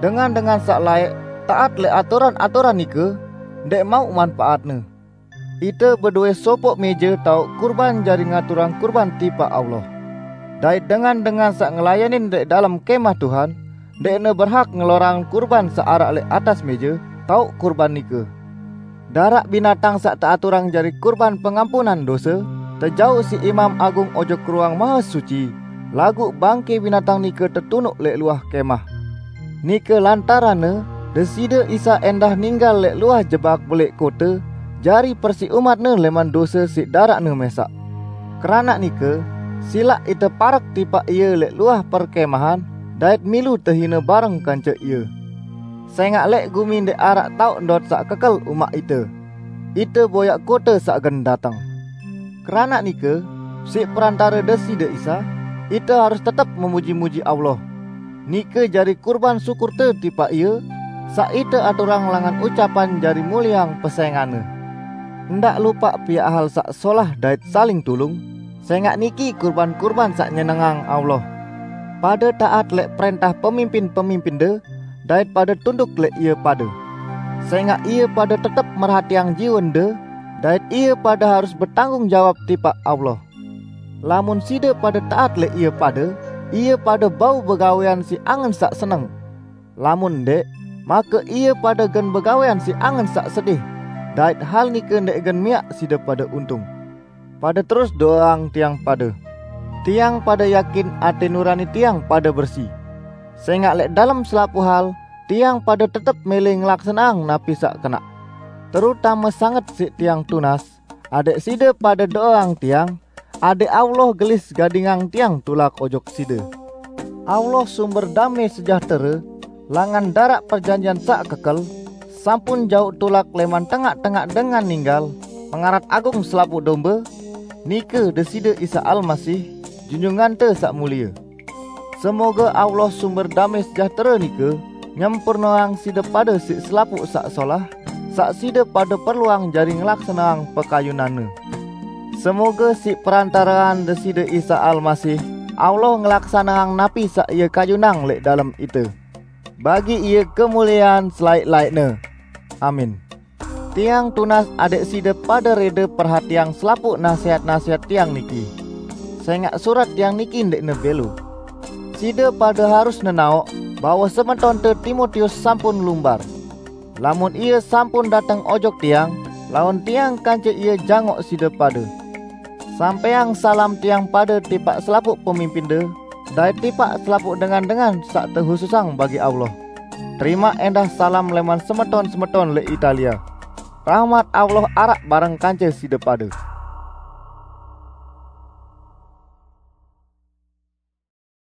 Dengan-dengan saq laeq taat leq aturan-aturan nike, ndeq mauq manpaatne. Ite bedowe sopoq meje taoq kurban jari ngaturang kurban tipaq Allah. Dait dengan-dengan saq ngelayanin leq dalem Kemah Tuhan, ndeqne berhak ngelorang kurban saq araq leq atas meje taoq kurban nike. Daraq binatang saq teaturang jari kurban pengampunan dose, tejauq siq Imam Agung ojok Ruang Mahesuci, laguq bangke binatang nike tetunuq leq luah Kemah. Nike lantaranne Deside Isa endah ninggal leq luah jebak beleq kote, jari persiq umat-Ne leman dose siq daraq-Ne mesaq. Keranaq nike, silaq ite parek tipaq Ie leq luah perkemahan, dait milu tehine bareng kance Ie. Sengaq leq gumi ndeq araq taoq ndot saq kekel umaq ite. Ite boyaq kote saq gen dateng. Keranaq nike, siq perantare Deside Isa, ite harus tetep memuji-muji Allah. Nike jari kurban sukute tipaq Ie, saq ite aturang langan ucapan jari mulieang pesengane. Ndaq lupaq piaq hal saq solah dait saling tulung, sengaq niki kurban-kurban saq nyenengang Allah. Pade taat leq prentah pemimpin-pemimpinde, dait pade tunduk leq ie pade. Sengaq ie pade tetep merhatiang jiwende, dait ie pade harus betanggung jawab tipaq Allah. Lamun side pade taat leq ie pade, ie pade bau begawean siq angen saq seneng. Lamun ndeq, make ie pade gen begawean siq angen saq sedih, dait hal nike ndeq gen miaq side pade untung. Pade terus do'eang tiang pade. Tiang pada yakin até nurani tiang pada bersi. Sengaq lẽq dalem selapuq hal, tiang pada tetep mele ngelaksaneang napi saq kenaq. Terutame sanget siq tiang tunas, adẽq side pada do'eang tiang, adẽq Allah gelis gadingang tiang tulak ojok side. Allah sumber damẽ sejahtere, langan daraq perjanjian saq kekel, sampun jauq tulak lẽman tengaq-tengaq dengan ninggal, pengarat agung selapuq dombe, nike Deside Isa Almasih, Junjungante Saq Mulie. Semoge Allah sumber damẽ sejahtere nike nyempurneang side pade siq selapuq saq solah, saq side pade perluang jari ngelaksaneang pekayunanne. Semoge siq perantarean Deside Isa Almasih, Allah ngelaksaneang napi saq Ie kayunang lẽq dalem ite. Bagi Ie kemuliean selaẽq-laẽqne. Amin. Tiang tunas adẽq side pade rede perhatiang selapuq nasehat-nasehat tiang niki, sengaq surat tiang niki ndẽqne bẽlo. Side pade harus nenaoq bahwe semetonte Timotius sampun lumbar. Lamun ie sampun dateng ojok tiang, laun tiang kance ie jangoq side pade. Sampẽang salam tiang pade tipaq selapuq pemimpinde, dait tipaq selapuq dengan-dengan saq tehususang bagi Allah. Terimaq ẽndah salam lẽman semeton-semeton lẽq Italia. Rahmat Allah araq bareng kance side pade.